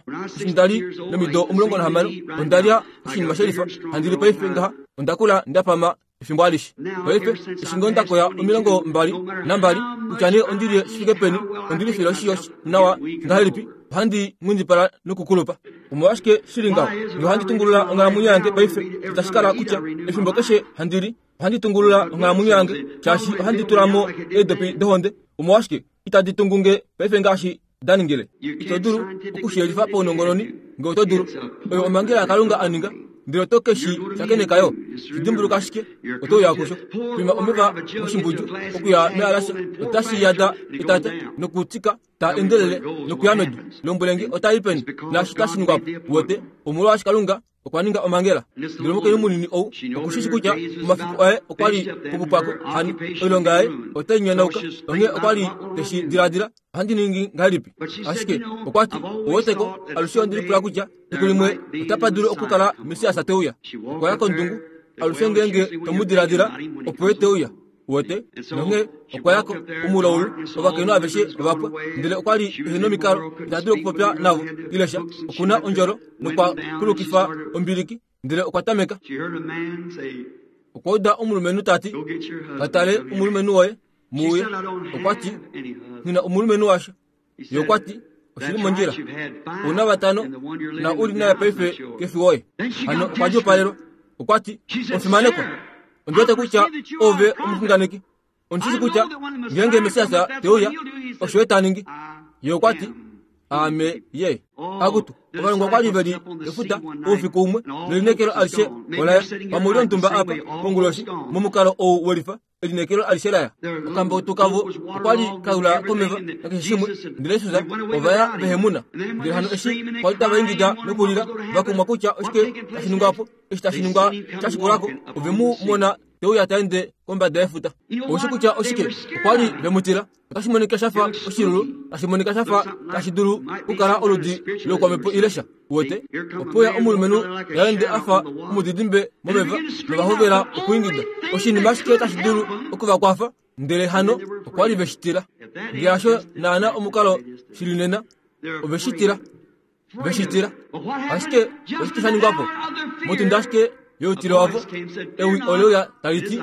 ndali nomido omulongo nahamano ondalya oshinima shelifa handili paife ngaha ondakula ndapama efimbo alishe paife eshi ndakoya omilongo mbali nambali kutya nee ondilye shifike peni ondilifile oshiyo nawa ngahelipi ohandi ngundipala nokukulupa omolwashike shili ngaho nohandi tungulula onghalamwenyo yange paife itashikala kutya efimbo keshe handili ohandi tungulula onghalamwenyo yange shaashi ohandi tulamo eedopi dohonde omolwashike itadi tungunge paife ngaashi daningile ito dulu okushiyelifa paunongononi nge oto dulu oyo omhangela yaKalunga aninga ndele oto keshi shakenekayo shidimbuluka ashike oto uya kusho pima omeva moshimbudju okuya mealasha otashi yada etata nokutika ta endelele nokuya medu lombwelenge otai peni naashi tashi ningwapo wote omolwaashi Kalunga okwa ninga omhangela ndele omukainhu munini ou okushishi kutya omafiku aye okwa li pokupwako hano oilonga yaye otai nyonauka onghee okwa li teshi diladila ohandi ningi ngahelipi ashike okwa ti oweteko alushe ondilipula kutya efiku limwe otapa dulu okukala Messias te uya okwa ya kondungu alushe ngenge tomudiladila opo ye te uya wote nonghee okwa yako omulaulu ovakainhu aveshe ovapwa ndele okwa li ehe nomikalo ita dulu okupopya navo ilesha okuna ondjolo nokwa kulukifa ombiliki ndele okwa tameka okwa uda omulumenhu tati katale omulumenhu woye muuye okwa ti ngina omulumenhu washo ye okwa ti oshili mondjila una vatano na uli naye paife kefi woye hano okwa djopalelwa okwa ti ofimanekwa ondiwete kutya ove omuxunganeki ondishishi kutya ngenge Messias te uya osho ye ta ningi ye okwa ti ame ye akutu ovalongwa okwa li veli efuta oufiku umwe nelinekelo alishe olaya pamwe ontumba apa konguloshi momukalo ou welifa elinekelo alishe laya okambautu kavo okwa li kaula komeva nakeshe shimwe ndele Jesus ovaya vehemuna ndele hano eshi kwa li tava ingida nokulila vakumwa kutya oshike tashi ningwapo eshi tashi ningwa shashikulako ove mu mona teuya taende kombada yefuta oushi kutya oshike okwa li vemutila otashi monika shafa oshilulu tashi monika shafa tashi dulu okukala oludi lokwamhepo ilesha wote opoya omulumenhu yaende afa omudidimbe momeva novahovela okuingida oshinima ashike tashi dulu okuvakwafa ndele hano okwa li veshitila ngeasho naana omukalo shili nena oveshitila veshitila ashike oshike sha ningwapo motunda ashike youtilo wavo ewi oleuya taliti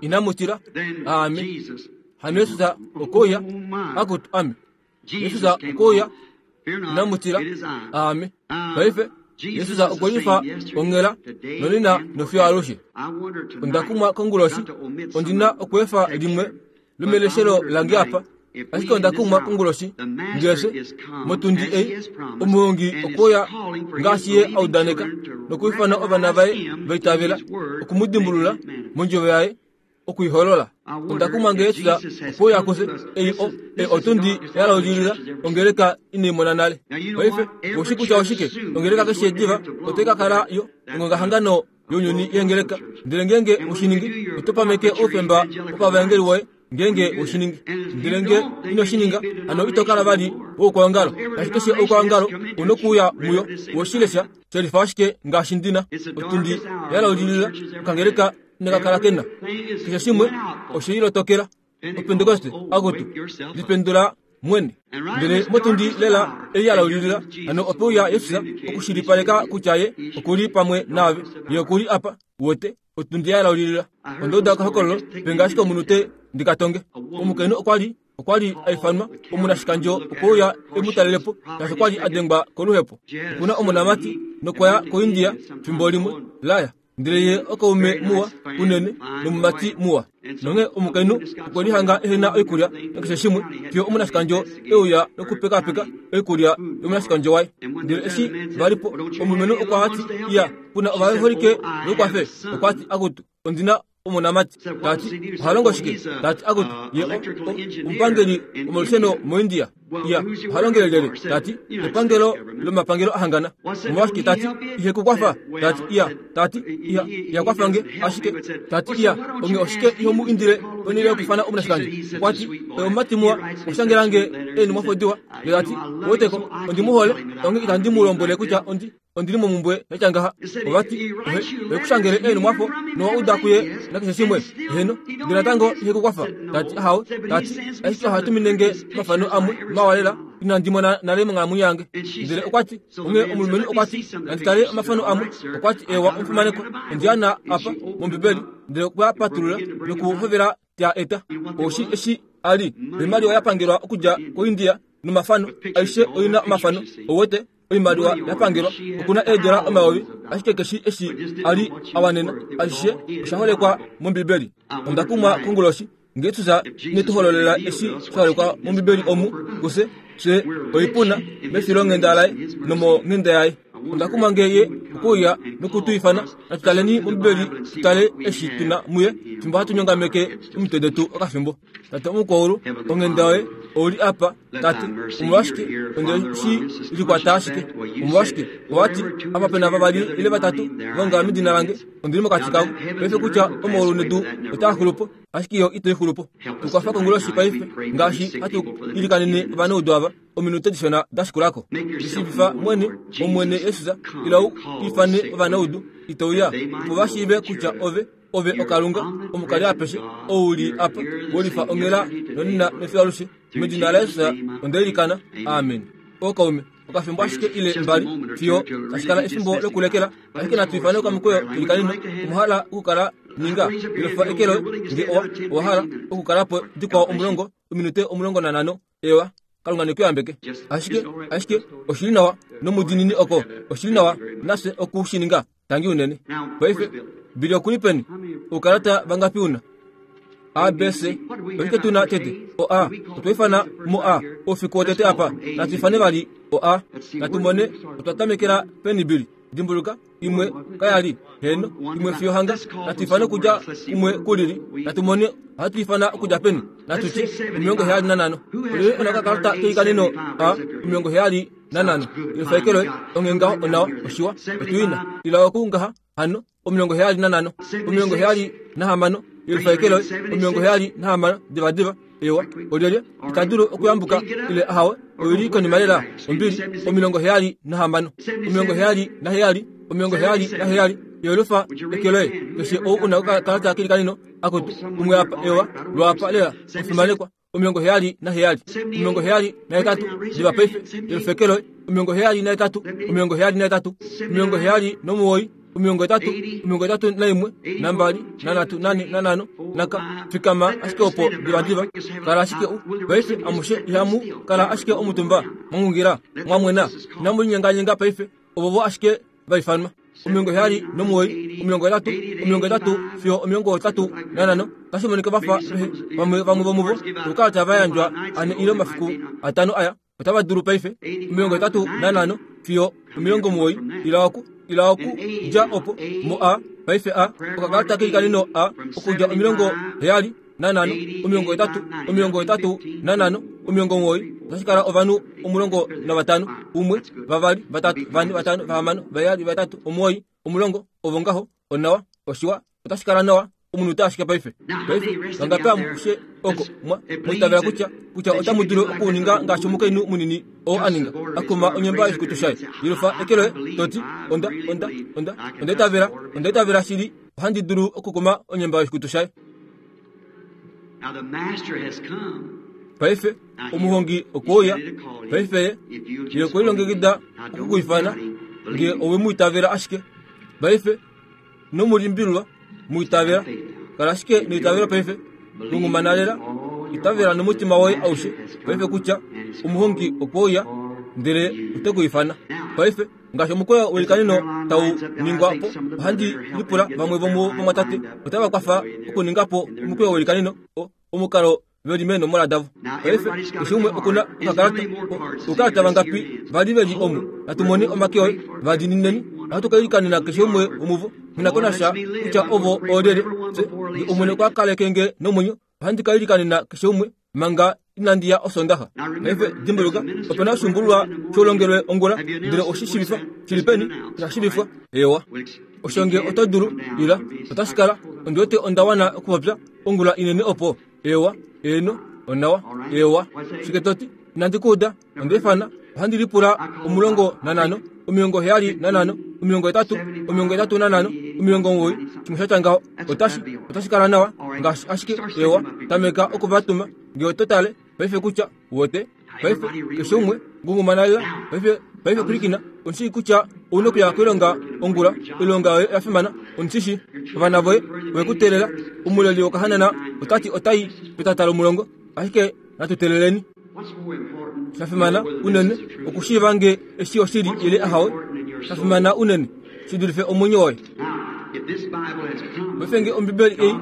inamutila ame hano Yesus okoya akutu ame Yesus okoya inamutila ame paife Yesus okwelifa ongela nonena nofiyo alushe ondakumwa konguloshi ondina okwefa limwe lomeleshelo lange apa ashike ondakumwa konguloshi ngese motundi ei omuhongi okoya ngaashi ye audaneka nokuifana ovana vaye vaitavela okumudimbulula mondjovo yaye okuiholola ondakumwa nge Yesus okoya kuse ei ei otundi yalaulilila ongeleka ineimona nale paife oushi kutya oshike ongeleka keshe diva otai ka kala yo ongongahangano younyuni yengeleka ndele ngenge oshiningi otopameke oufemba wopavaengeli woye ngenge oshiningi ndele nge inoshininga hano ito kala vali woukwaongalo tashi keshe oukwaongalo unokuuya muyo woshilesha shelifa ashike ngaashi ndina otundi yalaulilila okangeleka inakakala kena keshe shimwe oshilotokela opentekoste akutu lipendula mwene ndele motundi lela ei yalaulilila hano opeuya Yesus okushilipaleka kutya ye okuli pamwe naave ye okuli apa wote otundi yalaulilila ondouda okahokololo penga ashike omunhu te ndikatonge omukainhu okwa li okwa li aifanwa omunashikandjo okouya emutalelepo shaashi okwa li adengwa koluhepo okuna omonamati nokwaya koIndia fimbo limwe laya ndele ye okaume muwa unene nomumati muwa nonge omukainhu okwe lihanga ehena oikulya nakeshe shimwe fiyo omunashikandjo euya nokupekapeka oikulya yomunashikandjo waye ndele eshi valipo omulumenhu okwa hati iya puna ovaholike vekwafe okwa ti akutu ondina omonamati tati ohalongo shike tati akutu ye omupangeli womolusheno moIndia iya ohalongele lele tati epangelo lomapangelo ahangana omolwashike tati ihe kukwafa tati iya tati iya iyakwafange ashike tati iya onge oshike ihomu indile onile okufana omunashikandjo okwati omumati muwa oshangelange eni mwafodiwa ye tati woteko ondimuhole onge itandi mu lombwele kutya ondi Ondili momumbwe yatya ovati ekushangele eenhumwafo nowa uda kuye nakeshe shimwe heno ndele natango ihe kukwafa tati ahawe tati ashike ohatuminenge omafano amwe mawalela inandi mona nale monghalamwenyo yange ndele okwati onghee omulumenhu okwati nanditale omafano amwe okwati ewa omufimanekwa ondiyana apa mombibeli ndele okwa patulula nokuhovela tya eta oshi eshi ali oimaliwa yapangelwa okudja koIndia nomafano aishe oina omafano owete oimaliwa yapangelwa okuna eedola omayovi ashike keshi eshi ali awanena ashishe oshaholekwa mombibeli onda kumwa konguloshi ngee tusa netuhololela eshi shaholekwa mombibeli omu kuse fye oipuna mefilonghenda laye nomonghenda yaye onda kumwa ngeye okuuya nokutuifana natutaleni mombibeli tutale eshi tuna muye fimbo hatunyongameke omitwe detu okafimbo tate omukwaulu onghenda yoye ouli apa tate omolwashike onde shi likwata ashike omolwashike owati apa pena vavali ile vatatu vaongala medina lange ondili mokati kavo paife kutya omaulu nedu otaa xulupo ashike yo ito ixulupo tukwafa konguloshi paife ngaashi hatu ilikanene ovanaudu ava ominute dishona dashikulako lishiivifa mwene omwene Yesus ila u ifane ovanaudu itouya opo vashiive kutya ove ove okalunga omukali apeshe ouli apa wolifa onghela nonena mefialushe medina laYesus ondeilikana amen okaume okafimbo ashike ile mbali fiyo tashikala efimbo lokulekela ashike natu ifane okamukweyo tulikanino omuhala okukala ninga ilofa ekelo nge owa owahala okukalapo dikwao omulongo ominute omulongo nanhano ewa kalunga nekuyambeke ashike ashike oshili nawa nomudinini oko oshili nawa nafye okushininga tangi unene paife bili okuli peni oukalata vangapi una A B C oshike tuna tete o A otwaifana mo A oufiku wotete apa natuifane vali o A natumone otwatamekela peni bili dimbuluka imwe kayali heno imwe fiyo hanga natuifane okudja umwe kulili natumone ohatuifana okudja peni natuti omilongo heyali nanhano olili ona okakalata keikaneno A omilongo heyali nanhano ilofaekelo onghee onawa oshiwa otuina ila okungaha hano omilongo heyali nanhano omilongo heyali nahamano ilofaekelo omilongo heyali nahamano divadiva ewa olyelye itadulu okuyambuka ile ahawe oili konima lela ombili omilongo heyali nahamano omilongo heyali naheyali omilongo heyali naheyali yolufa ekeloye keshe ou una okakalata kelikanino akutu umwe apa ewa lwapa lela ofimanekwa omilongo heyali naheyali omilongo heyali nahetatu diva paife yolufekeloye omilongo heyali nahetatu omilongo heyali nahetatu omilongo heyali nomuwoi omilongo etatu omilongo etatu naimwe nambali nanhatu nane nanhano naka fikama ashike opo divadiva kala ashike u paife amushe ihamu kala ashike omutumba mwangungira mwamwena inamulinyenganyenga paife ovovo ashike vaifanwa omilongo heyali nomuwoi omilongo etatu omilongo etatu fiyo omilongo etatu nanhano tashi monika vafa vamwe vamwe vomuvo okukala tava ane ile omafiku atano aya otava dulu paife omilongo etatu nanhano fiyo omilongo muwoi ila oku ila oku dja opo mo A paife A okakalata keikanino A okudja omilongo heyali nanhano omilongo etatu omilongo etatu nanhano omilongo muwoi otashikala ovanhu omulongo navatano umwe vavali vatatu vane vatano vahamano vaheyali vatatu omuwoi omulongo ovo ngaho onawa oshiwa otashikala nawa omunute ashike paife paife vangapi amushe oko mwa mwitavela kutya kutya otamu dulu okuninga ngaashi omukainhu munini oo aninga akuma onyemba yoshikutu shaye yilofa ekeloye toti onda onda onda ondaitavela ondaitavela shili ohandi dulu okukuma onyemba yoshikutu shaye paife omuhongi okwouya paife ye okwelilongekida okukuifana nge owe muitavela ashike paife nomulimbilwa muitavela kala ashike noitavela paife lungumanalela itavela nomutima woye aushe paife kutya omuhongi okwouya ndele otekuifana paife ngaashi omukweyo welikanino tau ningwa po ohandi lipula vamwe vomwatate otava kwafa okuningapo omukweyo welikanino omukalo veli meenomola davo paife keshe umwe okuna okakalata oukalata vangapi vali veli omu natumone omake oye vadinineni ohatu kailikanena keshe umwe womuvo nginakonasha kutya ovo oolyelye omwene okwa kalekenge nomwenyo ohandi kailikanena keshe umwe manga inandiya osondaxa paife dimbuluka opena oshumbululwa shoulongelwe ongula ndele oshishivifwa shili peni oshashivifwa ewa oshonge oto dulu ila otashikala ondiwete ondawana okupopya ongula inene opo ewa eno onawa ewa shike toti inandi kuuda ondeifana ohandi lipula omulongo nanhano omilongo heyali nanhano omilongo hetatu omilongo hetatu nanhano omilongo omugoyi shimwe shatya ngaho otashi otashi kala nawa ngaashi ashike ewa tameka okuvatuma ngee oto tale paife kutya wote paife keshe umwe ngungumana lela paife paife kulikina onshii kutya ouna okuya koilonga ongula oilonga yoye oya fimana ondishi ovana voye vekuteelela omuleli wokahanana otati otai petata lomulongo ashike natuteleleni shafimana unene okushiiva nge eshi oshili ile ahawe shafimana unene shidulife omwenyo woye paife nge ombibeli ei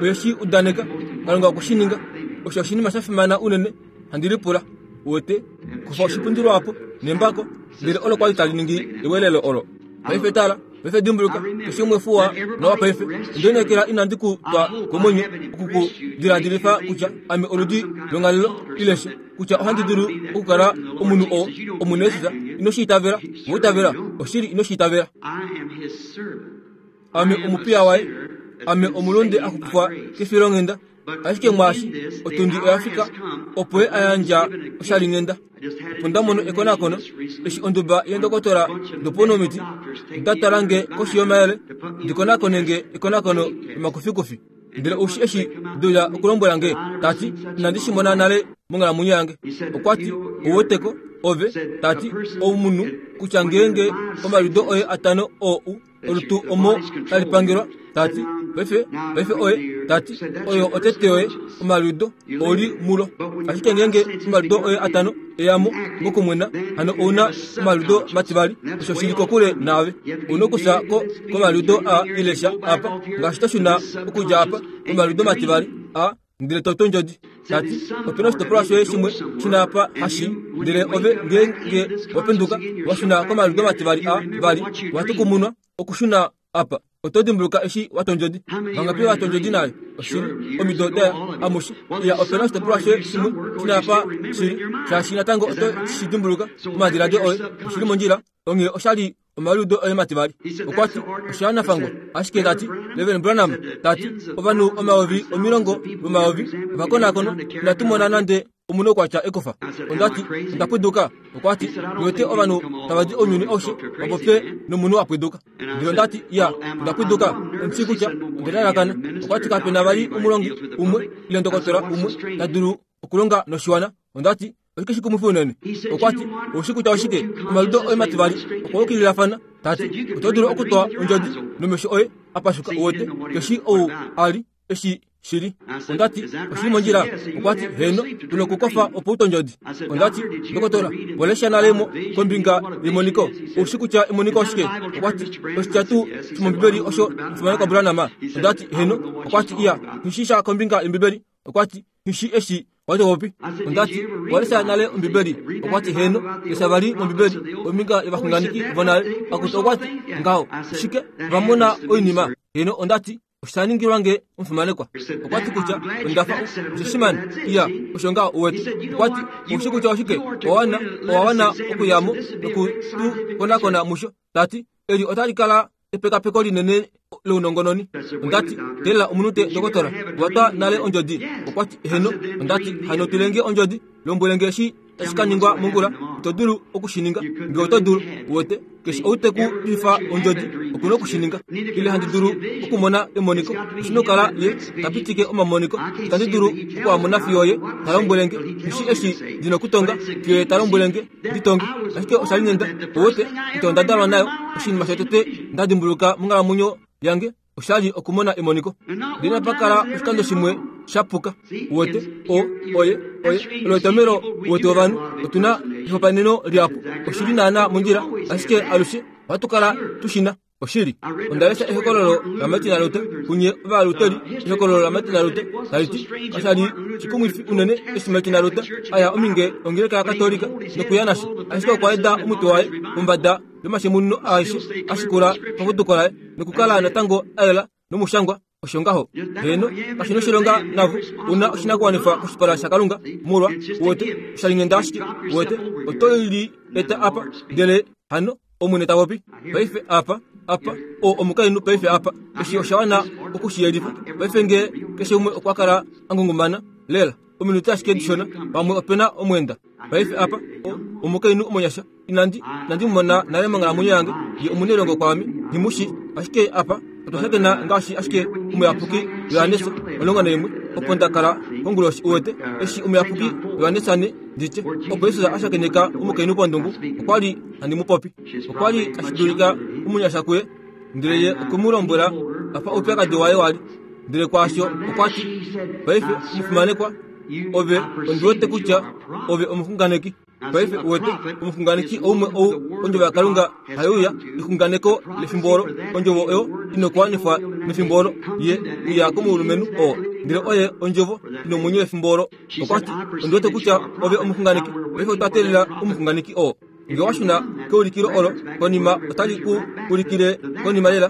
oyeshi udaneka Kalunga okushininga osho oshinima shafimana unene handi lipula wote kufa oshipundilo apo nembako ndele olo kwali tali ningi ewelelo olo paife tala paife dimbuluka keshe umwe fuwa nawa paife ndonekela inandi ku twa komwenyo okukudiladilifa kutya ame oludi longhalelo ileshe kutya ohandi dulu okukala omunhu oo omunesisa ino shiitavela woitavela oshili ino shiitavela ame omupiya waye ame omulunde akupufwa kefilonghenda ashike mwaashi otundi oyafika opo ye ayandja oshalinghenda opo ndamono ekonakono eshi onduba yendokotola doponomiti ndatala nge koshi yomayele ndikonakone nge ekonakono lomakufikufi ndele oushi eshi dula okulombwela nge tati inandi shimona nale monghalamwenyo yange okwati ouweteko ove tati omunhu kutya ngeenge omaliudo oye atano oo olutu omo talipangelwa tati paife paife oye tati oyo otete yoye omaliudo oli mulo ashike ngeenge omaliudo oye atano eyamo mokumwena hano ouna omaliudo mativali osho shili kokule naave ouna okufya ko komaliudo a ilesha apa ngaashi toshuna okudja apa komaliudo mativali a ndele toto ndjodi tati opena oshitopolwa shoye shimwe shina apa hashi ndele ove ngeenge wapenduka washuna komaliudo mativali a vali watukumunwa okushuna apa oto dimbuluka eshi watondjodi vangapi watondjodi naye oshili omido daya amushe iya opena oshitopolwa shoye shimwe shina apa shili shaashi natango oto shi dimbuluka omadiladilo oye oshili mondjila onghee oshali omaliudo oye mativali okwati oshanafango ashike tati Reverend Branham tati ovanhu omayovi omilongo vomayovi ovakonakono inatumona nande omunhu okwatya ekofa ondati ondapwiduka okwati niwete ovanhu tavadi ounyuni aushe vapopye nomunhu apwiduka ndele ondati ya ondapwiduka ondishi kutya ondelalakana okwati kapena vali omulongi umwe ile ndokotola umwe tadulu okulonga noshiwana ondati oshike shikumwifi unene okwati oushi kutya oshike omaliudo oye mativali okwa yukililafana tati oto dulu okutwa ondjodi nomesho oye apashuka uwete keshi ou ali eshi shili ondati oshili mondjila okwati heno tuna okukofa opo utondjodi ondati ndokotola polesha nalemo kombinga yemoniko oushi kutya emoniko oshike okwati oshitya tuu shimombibeli osho omufimanekwa Branham ondati heno okwati iya nhishisha kombinga yombibeli okwati nhishi eshi watopopi ondati walesha nale ombibeli okwati heno lesha vali mombibeli ombinga yovaxunganeki vonale akuti okwati ngaho shike vamona oinima heno ondati oshaningilwa nge omufimanekwa okwati kutya ondafa oshishimani iya osho ngaho uwete okwati oushi kutya oshike owawana owawana okuyamo nokutukonakona musho tati eli otali kala epekapeko linene lounongononi ondati telela omunute ndokotola watwa nale ondjodi okwati heno ondati hano tulenge ondjodi lombwelenge eshi tashi ka ningwa mongula ito dulu okushininga nge oto dulu uwete keshe outeku ifa ondjodi okuna okushininga ile handi dulu okumona emoniko oshina okukala ye tapitike omamoniko itandi dulu okuamona fiyo ye talombwelenge nishi eshi ndina okutonga fiyo ye talombwelenge nditonge ashike oshali nenda uwete ito ndadalwa nayo oshinima shotete ndadimbuluka monghalamwenyo yange oshali okumona emoniko ndina pakala oshikando shimwe shapuka uwete o oye oye olotomelo uwete ovanhu otuna ehopaneno lyapo oshili naana mondjila ashike alushe ohatukala tushina oshili ondalesha ehokololo laMartin Luther kunye ovaluteri ehokololo laMartin Luther taliti kashali shikumwifi unene eshi Martin Luther aya ominge ongeleka yakatolika nokuya nasho ashike okwa eda omutwe waye pombada yomashemuno aishe ashikula paputuko laye nokukala natango ayela nomushangwa osho ngaho heno kashina oshilonga navo una oshinakuwanifwa koshipala shakalunga molwa uwete oshalingenda ashike uwete oto li eta apa ndele hano omwene tapopi paife apa apa o omukainhu paife apa eshi oshawana okushiyelifa paife nge keshe umwe okwa kala angungumana lela ominute ashike dishona pamwe opena omwenda Paife apa omukainhu omonyasha inandi inandi mona nale monghalamwenyo yange ye omunelongo kwame himushi ashike apa otwa shakena ngaashi ashike omuyapuki Johannes omulongo naimwe opo ndakala konguloshi uwete eshi omuyapuki Johannes ane nditye opo Jesus a shakeneka omukainhu pondungu okwa li handi mu popi okwa li tashi dulika omunyasha kuye ndele ye okwe mu lombwela apa oupyakadi waye wali ndele kwaasho okwa ti paife omufimanekwa ove ondiwete kutya ove omuxunganeki paife uwete omuxunganeki oumwe ou ondjovo yaKalunga haiuya exunganeko lefimbo olo ondjovo oyo inokuwanifwa mefimbo olo ye uya komulumenhu oo ndele oye ondjovo inomwenyo wefimbo olo okwa ti ondiwete kutya ove omuxunganeki paife otwa teelela omuxunganeki oo nge washuna keulikilo olo konima otali ku ulikile konima lela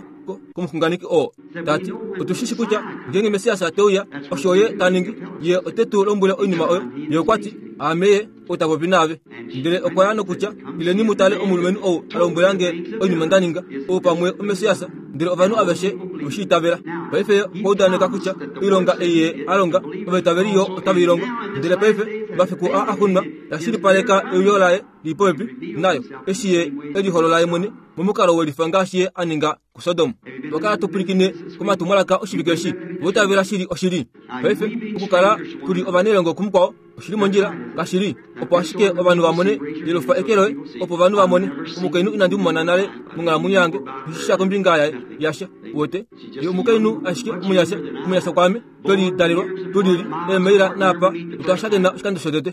komuxunganeki oo tati otushishi kutya ngeenge Messias teuya osho ye ta ningi ye ote tu lombwele oinima oyo ye okwa ti aame ye ou popi naave ndele okwa ya nokutya ileni mu tale omulumenhu ou a lombwelange oinima nda ninga ou pamwe oMessias ndele ovanhu aveshe veshi itavela paife okwa udaneka kutya oilonga ei ye a longa ovaitaveli yo otave i longo ndele paife mafiku a axunwa tashilipaleka euyo laye li popepi nayo eshi ye eliholola ye mwene momukalo welifa ngaashi ye a ninga kuSodom twakala tupulikine komatumwalaka oshivike eshi voitavela shili oshili paife okukala tuli ovanelongo kumukwao oshili mondjila kashili opo ashike ovanhu vamone yelufa eke loye opo ovanhu vamone omukainhu inandi mumona nale monghalamwenyo yange ishisha kombinga yaye yasha uwete ye omukainhu ashike omunyasha omunyasha kwame tweli dalelwa tulili eemaila naapa otwa shakena oshikando shotete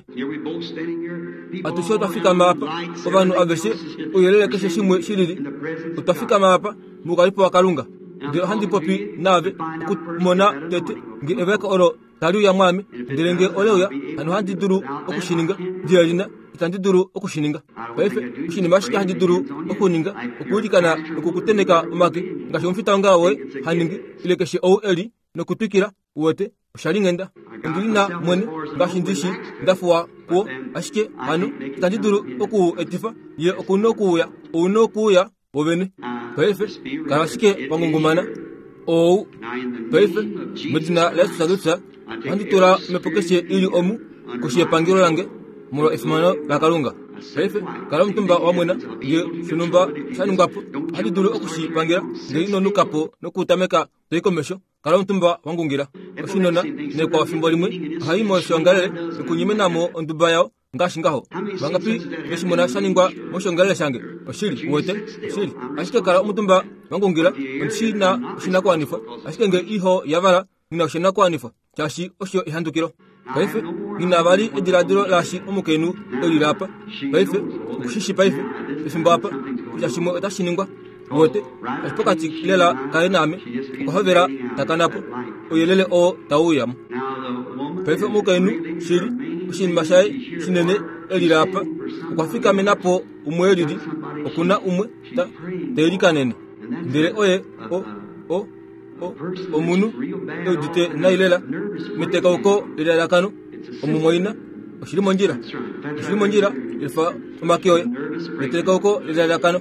atushe otwa fikama apa ovanhu aveshe ouyelele keshe shimwe shilili otwa fikama apa moukalipo waKalunga ndele ohandi popi naave okumona tete nge eveko olo tali uya mwame ndele nge oleuya hano ohandi dulu okushininga ndielina itandi dulu okushininga paife oshinima ashike handi dulu okuninga okuulikana nokukuteneka omake ngaashi omufitaongalo woye haningi ile keshe ou eli nokutwikila uwete osha lingenda ondili na mwene ngaashi ndishi ndafuwa kuwo ashike hano itandi dulu oku etifa ye okuna okuuya ouna okuuya wovene paife kala ashike wangungumana ou paife medina laYesus Kristus ohandi tula omhepo keshe ili omu koshi yepangelo lange molwa efimano laKalunga paife kala omutumba wamwena nge shonumba sha ningwapo ohandi dulu okushipangela ndele ino nukapo nokutameka toi komesho kala omutumba wangungila oshinona nekwao fimbo limwe ohai moshongalele nokunyimenamo onduba yao ngaashi ngaho vangapi veshimona sha ningwa moshongalele shange oshili uwete oshili ashike kala omutumba wangungila ondishina oshinakuwanifwa ashike nge iho yavala ngina oshinakuwanifwa shaashi osho ehandukilo paife ngina vali ediladilo laashi omukainhu elile apa paife okushishi paife pefimbo apa kutya shimwe otashi ningwa uwete ashi pokati lela kaye naame okwa hovela takanapo ouyelele oo tauuyamo paife omukainhu shili oshinima shaye shinene elile apa okwa fikamenapo umwe elili okuna umwe ta teilikanene ndele oye o o o omunhu eudite nai lela metekauko lelalakano omumwaina oshili mondjila oshili mondjila efa omake oye metekauko lelalakano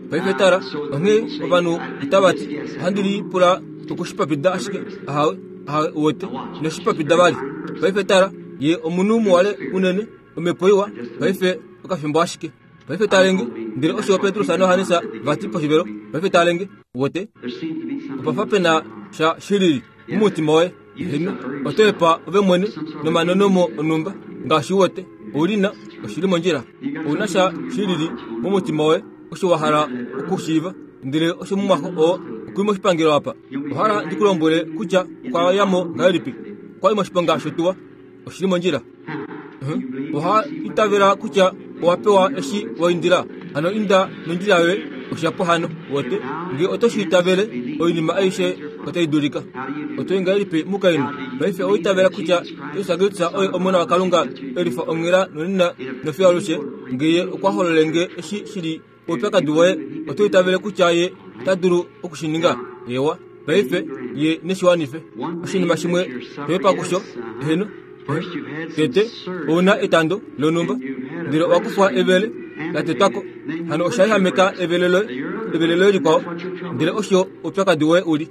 paife tala onghee ovanhu otava ti ohandi lipula okushipapida ashike ahawe ahawe uwete inoshipapida vali paife tala ye omunhu muwale unene omhepo iwa paife okafimbo ashike paife talenge ndele osho Petrus naJohannes vati poshivelo paife talenge uwete opafa pena sha shilili mumutima woye heno oto epa ove mwene nomanonomo onumba ngaashi uwete oulina oshili mondjila ouna sha shilili mumutima woye osho wa hala okushiiva ndele osho mumwaxo oo okuli moshipangelo apa ohala ndikulombwele kutya okwa yamo ngahelipi okwali moshiponga shotuwa oshili mondjila oha itavela kutya owa pewa eshi waindila hano inda nondjila yoye oshapo hano wote nge oto shi itavele oinima aishe otai dulika oto ngahelipi mukainhu paife oitavela kutya Jesus Kristus oye omona waKalunga elifa onghela nonena nofiyo alushe nge ye okwa hololenge eshi shili oupyakadi woye oto itavele kutya ye ota dulu okushininga ewa paife ye neshiwanife oshinima shimwe toyepa kusho heno tete ouna etando lonumba ndele owa kufwa evele latetwako hano oshayihameka evele loye evele loye likwao ndele osho oupyakadi woye uli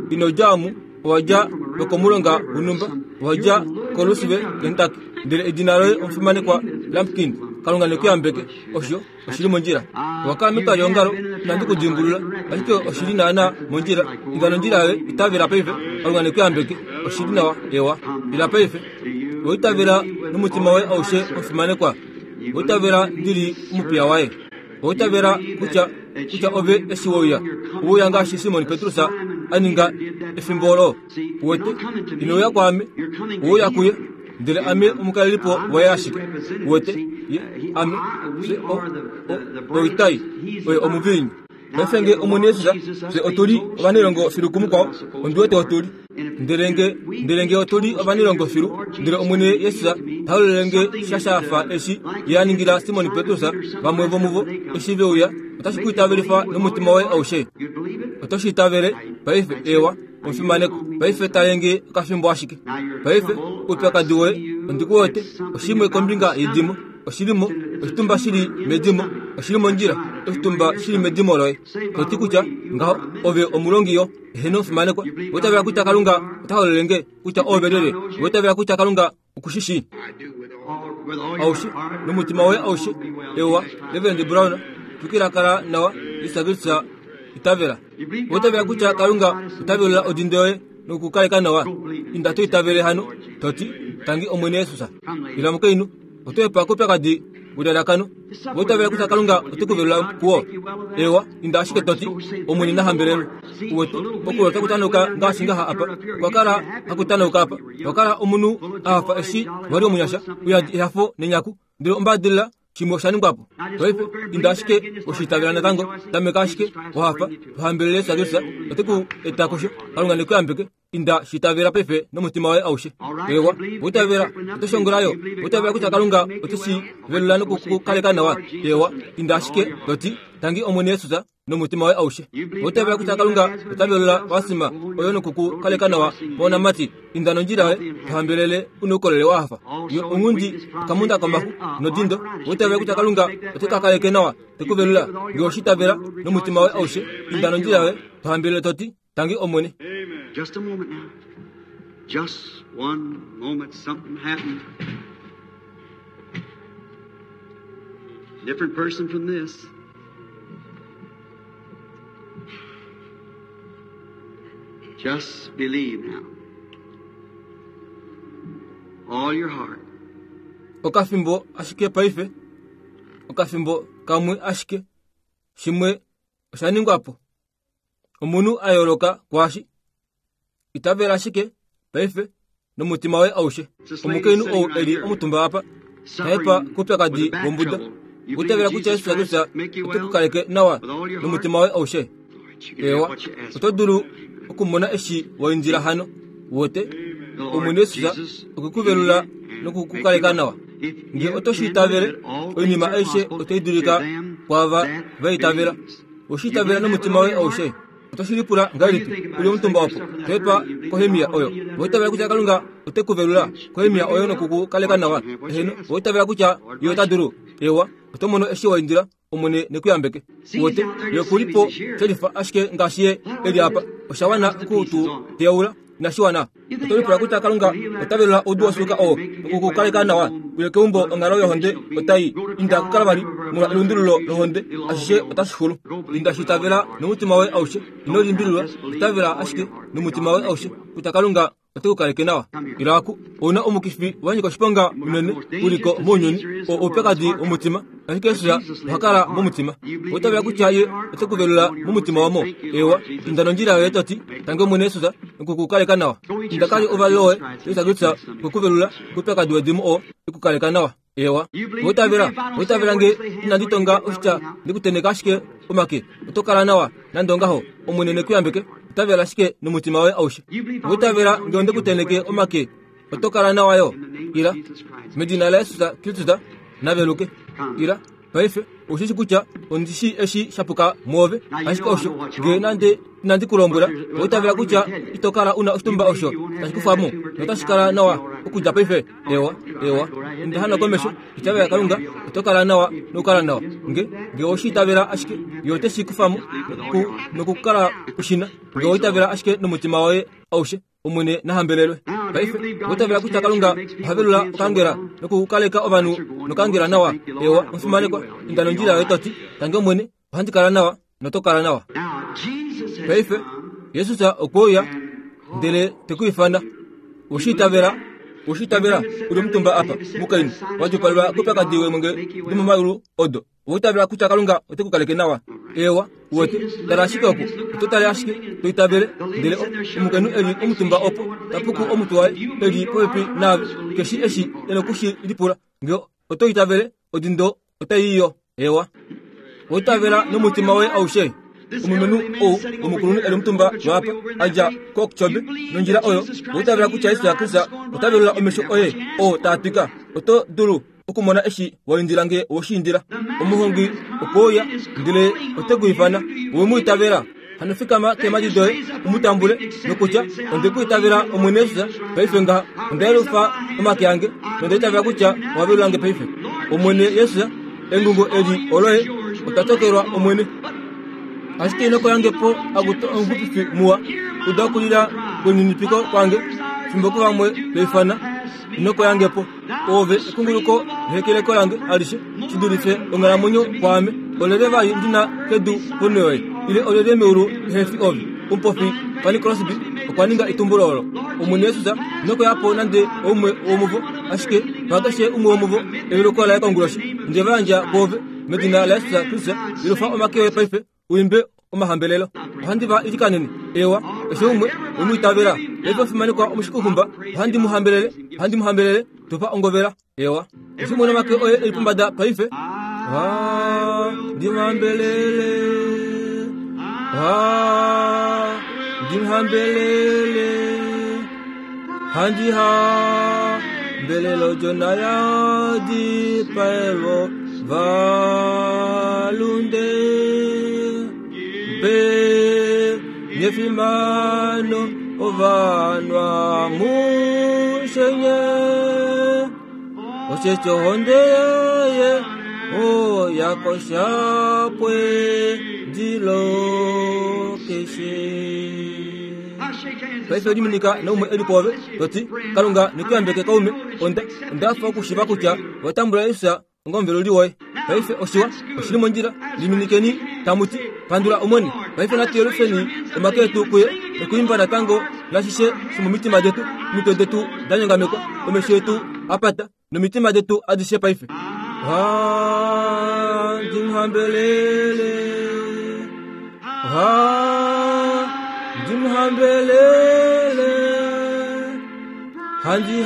ino dja omu owa dja lokomulonga wonhumba, owa dja koLouisville, Kentucky. Ndele edina loye omufimanekwa Lampkin. Kalunga nekuyambeke. Osho oshili mondjila. Owakala metwali leongalo, inandi ku dimbulula, ashike oshili naana mondjila. Inda nondjila yoye, itavela paife. Kalunga nekuyambeke. Oshili nawa, ewa. Ila paife. Oitavela nomutima woye aushe omufimanekwa. Oitavela ndili omupiya waye. Oitavela kutya kutya ove eshi wouya. Ouya ngaashi Simon Petrus a ninga efimbo olo. Uwete, inouya kwaame, ouya kuye. Ndele ame omukalelipo waye ashike. Uwete, ye, ame, fye o, o, oitai, oye omuviinyu. Paife nge Omwene Jesus, fye otuli ovanilongo filu kumukwao, ondi wete otuli. Ndele nge, ndele nge otuli ovanilongo filu, ndele Omwene Jesus ta hololele nge sha shafa eshi ye a ningila Simon Petrus, vamwe vomuvo eshi veuya, otashi ku itavelifa nomutima woye aushe. Oto shi itavele paife, ewa, omufimaneko. Paife talenge okafimbo ashike. Paife oupyakadi woye ondi ku wete, oshimwe kombinga yedimo, oshilimo, oshitumba shili medimo, oshili mondjila, oshitumba shili medimo loye. Toti kutya ngaho ove omulongi yo, eheno omufimanekwa. Oitavela kutya Kalunga ota hololele nge kutya ove lyelye. Oitavela kutya Kalunga okushishi aushe nomutima woye aushe. Ewa, Reverend Brown, tukila kala nawa, Jesus Kristus itavela. Oitavela kutya Kalunga ota velula odinde yoye nokukaleka nawa. Inda to itavele hano, toti tangi Omwene Jesus. Ila mukainhu, oto epa koupyakadi welalakano. Oitavela kutya Kalunga ote ku velula kuwo. Ewa, inda ashike toti Omwene na hambelelwe. Uwete, okulo otaku tanauka ngaashi ngaha apa. Okwa kala haku tanauka apa. Okwa kala omunhu a hafa eshi wali omunyasha, uyadi ehafo nenyaku. Ndele ombadilila shimwe osha ningwa po. Paife inda ashike oshitavela natango, tameka ashike wahafa, tohambelele Jesus Kristus, ote ku eta kusho. Kalunga nekuyambeke. Inda shitavela paife nomutima woye aushe. Ewa, oitavela, oto shongola yo. Oitavela kutya Kalunga ote shi velula nokukukaleka nawa. Ewa, inda ashike toti tangi Omwene Jesus nomutima woye aushe. Oitavela kutya Kalunga ota velula wasima oyo nokukukaleka nawa moonamati. Inda nondjila yoye, tohambelele una oukolele wa hafa. Yo ongundi okamunda komaxu nodindo. Oitavela kutya Kalunga ote ka kaleke nawa, te ku velula. Nge oshitavela nomutima woye aushe, inda nondjila yoye, tohambelele toti tangi Omwene. Just a moment now. Just one moment, something happened. Different person from this. Just believe now. All your heart. Okafimbo ashike paife. Okafimbo kamwe ashike. Shimwe osha ningwa po. Omunhu a yooloka kwaashi. Itavela ashike paife nomutima woye aushe. Omukainhu ou eli omutumba apa, tahepa koupyakadi wombuda. Oitavela kutya Jesus Kristus ote ku kaleke nawa nomutima woye aushe. Ewa, oto dulu okumona eshi wa indila hano. Wote, Omwene Jesus okwe ku velula nokukukaleka nawa. Nge oto shi itavele, oinima aishe otai dulika kwaava va itavela. Oshi itavela nomutima woye aushe. Oto shi lipula ngahelipi uli omutumba opo, tohepa kohemia oyo. Oitavela kutya Kalunga ote ku velula kohemia oyo nokukukaleka nawa. Eheno, oitavela kutya ye ota dulu. Ewa, oto mono eshi wa indila, Omwene nekuyambeke. Wote, ye kulipo shelifa ashike ngaashi ye eli apa. Osha wana oku tu teyaula, inashi wana. Oto lipula kutya Kalunga ota velula oudu wosuuka oo nokukukaleka nawa. Uye keumbo onghalo yohonde otai inda kuKalvari molwa elundululo lohonde, ashishe otashi xulu. Inda shitavela nomutima woye aushe, ino limbililwa, itavela ashike nomutima woye aushe kutya Kalunga ote ku kaleke nawa. Ila aku, ouna omukifi wa nyika oshiponga unene uliko mounyuni, oo oupyakadi womutima, ashike Jesus oha kala momutima. Oitavela kutya ye ote ku velula momutima wamo. Ewa, inda nondjila yoye toti tangi Omwene Jesus nokukukaleka nawa. Inda kali ovalelo woye, Jesus Kristus okwe ku velula koupyakadi wedimo oo ekukaleka nawa. Ewa, oitavela, oitavela nge inandi tonga oshitya ndikuteneka ashike omake, oto kala nawa nande ongaho. Omwene nekuyambeke. Itavela ashike nomutima woye aushe. Oitavela nge ondikuteneke omake, oto kala nawa yo. Ila, medina laJesus Kristus naveluke. Ila, paife oshishi kutya ondishi eshi shapuka mwoove, ashike osho nge nande inandi ku lombwela, oitavela kutya ito kala una oshitumba osho tashi kufamo notashi kala nawa okudja paife. Ewa, ewa, inda hano komesho, itavela Kalunga, oto kala nawa nokukala nawa. Nge nge oshi itavela ashike, ye ote shi kufamo nokukala ushina. Nge oitavela ashike nomutima woye aushe. Omwene nahambelelwe. Paife otavela kutya Kalunga ohavelula okangela nokukaleka ovanhu nokangela nawa. Ewa omufimanekwa, inda nondjila yoye toti tange Omwene, ohandi kala nawa noto kala nawa. Paife Jesus okwe uya ndele te ku ifana. Oshitavela, oshitavela uli omutumba apa mukainhu wadjupalelwa koupyakadi wemwenge domomayulu odo. Oitavela kutya Kalunga ote ku kaleke nawa. Ewa uwete, tala ashike oku, oto tale ashike to itavele. Ndele omukainhu eli omutumba opo tapuku omutwe waye eli popepi naave, keshi eshi ena okushi lipula. Nge oto itavele, odindo otaiyo. Ewa, oitavela nomutima woye aushe. Omulumenhu ou omukulunhu eli omutumba lwaapa a dja koKchobe nondjila oyo, oitavela kutya Jesus Kristus ota velula omesho oye oo taa twika. Oto dulu okumona eshi waindila nge woshiindila. Omuhongi okwe uya ndele ote ku ifana. Owe mu itavela. Hano fikama keemhadi doye umutambule nokutya onde ku itavela Omwene Jesus paife ngaha. Onda yelufa omake ange nonda itavela kutya owa velula nge paife. Omwene Jesus, engungo eli oloye, otwa tokelwa Omwene. Ashike ino koyange po akuto omuxupifi muwa, uda okulila kweninipiko kwange, fimbo kuvamwe toifana, ino koyange po. Ove ekunguluko nehekeleko lange alishe, shi dulife onghalamwenyo kwaame. Olele vali ndina kedu ponho yoye, ile olele meulu ehe fi ove. Omupofi Fanny Crosby okwa ninga etumbulo olo. Omwene Jesus ino koya po nande oumwe womuvo, ashike pakeshe umwe womuvo eveluko laye konguloshi. Nde va yandja kwoove medina laJesus Kristus. Yelufa omake oye paife uimbe omahambelelo. Ohandi va ilikanene. Ewa, keshe umwe wemwiitavela. Paife ofimanekwa omushikuxumba, ohandi mu hambelele, ohandi mu hambelele, tupa ongovela. Ewa, keshe umwe nomake oye eli pombada paife. Ohandi mu hambelele, ohandi mu hambelele, handi hambelele odjona ya dipaelwa valunde. Mpe nyefimano ovanwa mushenye, osheshi ohonde yaye oyakoshapwe dilo keshe. Paife liminika naumwe eli pwoove toti Kalunga nekuyambeke kaume. Onda ondafa okushiva kutya watambula Jesus onga omuveluli woye. Paife oshiwa oshili mondjila. Liminikeni tamuti pandula Omwene. Paife natu yelufeni omake etu kuye nokuimba natango nashishe shomomitima detu, omitwe detu da nyongamekwa, omesho etu apata nomitima detu adishe paife. Ohandi mu hambelele, ohandi mu hambelele, handi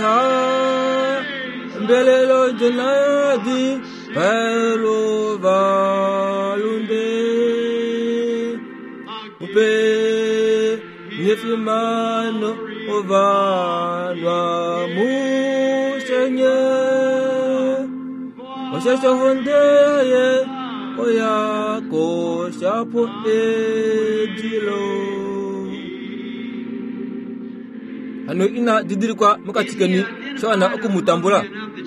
hambelele odjona ya dipaelwa valunde. Upe nyefimano ovanwa mushenye, osheshi ohonde yaye oyakoshapo edilo. Hano ina didilikwa mokati keni shawana okumutambula.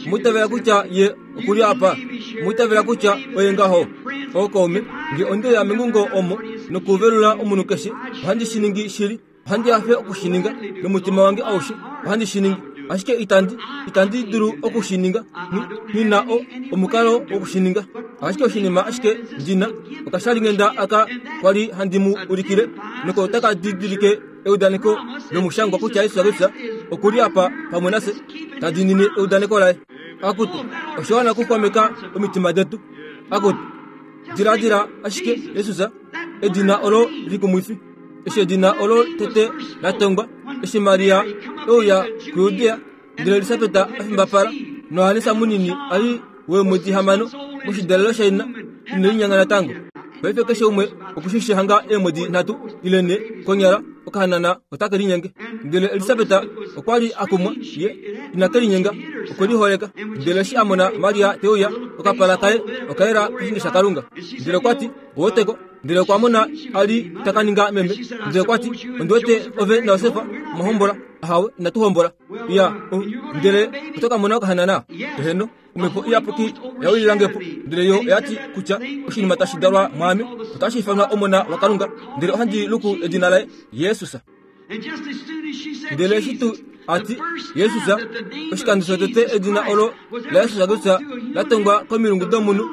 Mwitavela kutya ye okuli apa, mwitavela kutya oye ngaho. Ookaume, nge onde ya mengungo omo nokuvelula omunhu keshe, ohandi shi ningi shili, ohandi hafe okushininga nomutima wange aushe, ohandi shi ningi. Ashike itandi, itandi dulu okushininga, nghi na o omukalo wokushininga. Ashike oshinima ashike ndina okashalinghenda aka kwali handi mu ulikile, noko otaka didilike eudaneko lomushangwa kutya Jesus Kristus okuli apa pamwe nafye, ta diinine eudaneko laye. Akutu, oshiwana okuxwameka omitima detu. Akutu, diladila ashike Jesus, edina olo likumwifi. Eshi edina olo tete la tongwa, eshi Maria euya kuJudea, ndele Elisabet a fimbapala, noHannes munini ali weemwedi hamano moshidalelo shaina, ine linyanga natango. Paife keshe umwe okushishi hanga eemwedi nhatu ile nhe konyala okahanana otake linyenge. Ndele Elisabet okwa li a kumwa, ye inake linyenga, okwe liholeka. Ndele eshi a mona Maria te uya, okapala kaye okayela koshinge shaKalunga. Ndele okwa ti, oweteko. Ndele okwa mona ali taka ninga meme. Ndele okwa ti, ondi wete ove naJosef mwahombola. Ahawe, inatu hombola. Ya, ndele oto ka mona okahanana. Eheno, omhepo iyapuki yawililange po. Ndele yo oyati kutya oshinima tashi dalwa mwaame otashi ifanwa omona waKalunga. Ndele ohandi luku edina laye Jesus. Ndele eshi tuu a ti Jesus, oshikando shotete edina olo laJesus Kristus la tongwa komilungu domunhu,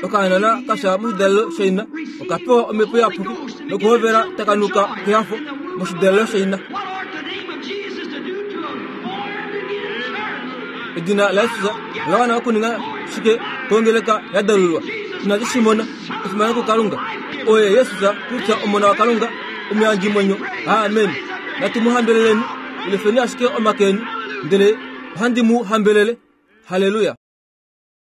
okahanana ka fya moshidalelo shaina, oka pewa omhepo iyapuki nokuhovela taka nuka kehafo moshidalelo shaina. What ought the name of Jesus to do to a born-again church? Edina laJesus ola wana okuninga shike kongeleka ya dalulwa? Inatu shi mona. Efimano kuKalunga. Oye Jesus Kristus Omona waKalunga, omuyandjimwenyo. Amen. Natu mu hambeleleni. Ilefeni ashike omake eni, ndele ohandi mu hambelele. Halleluya.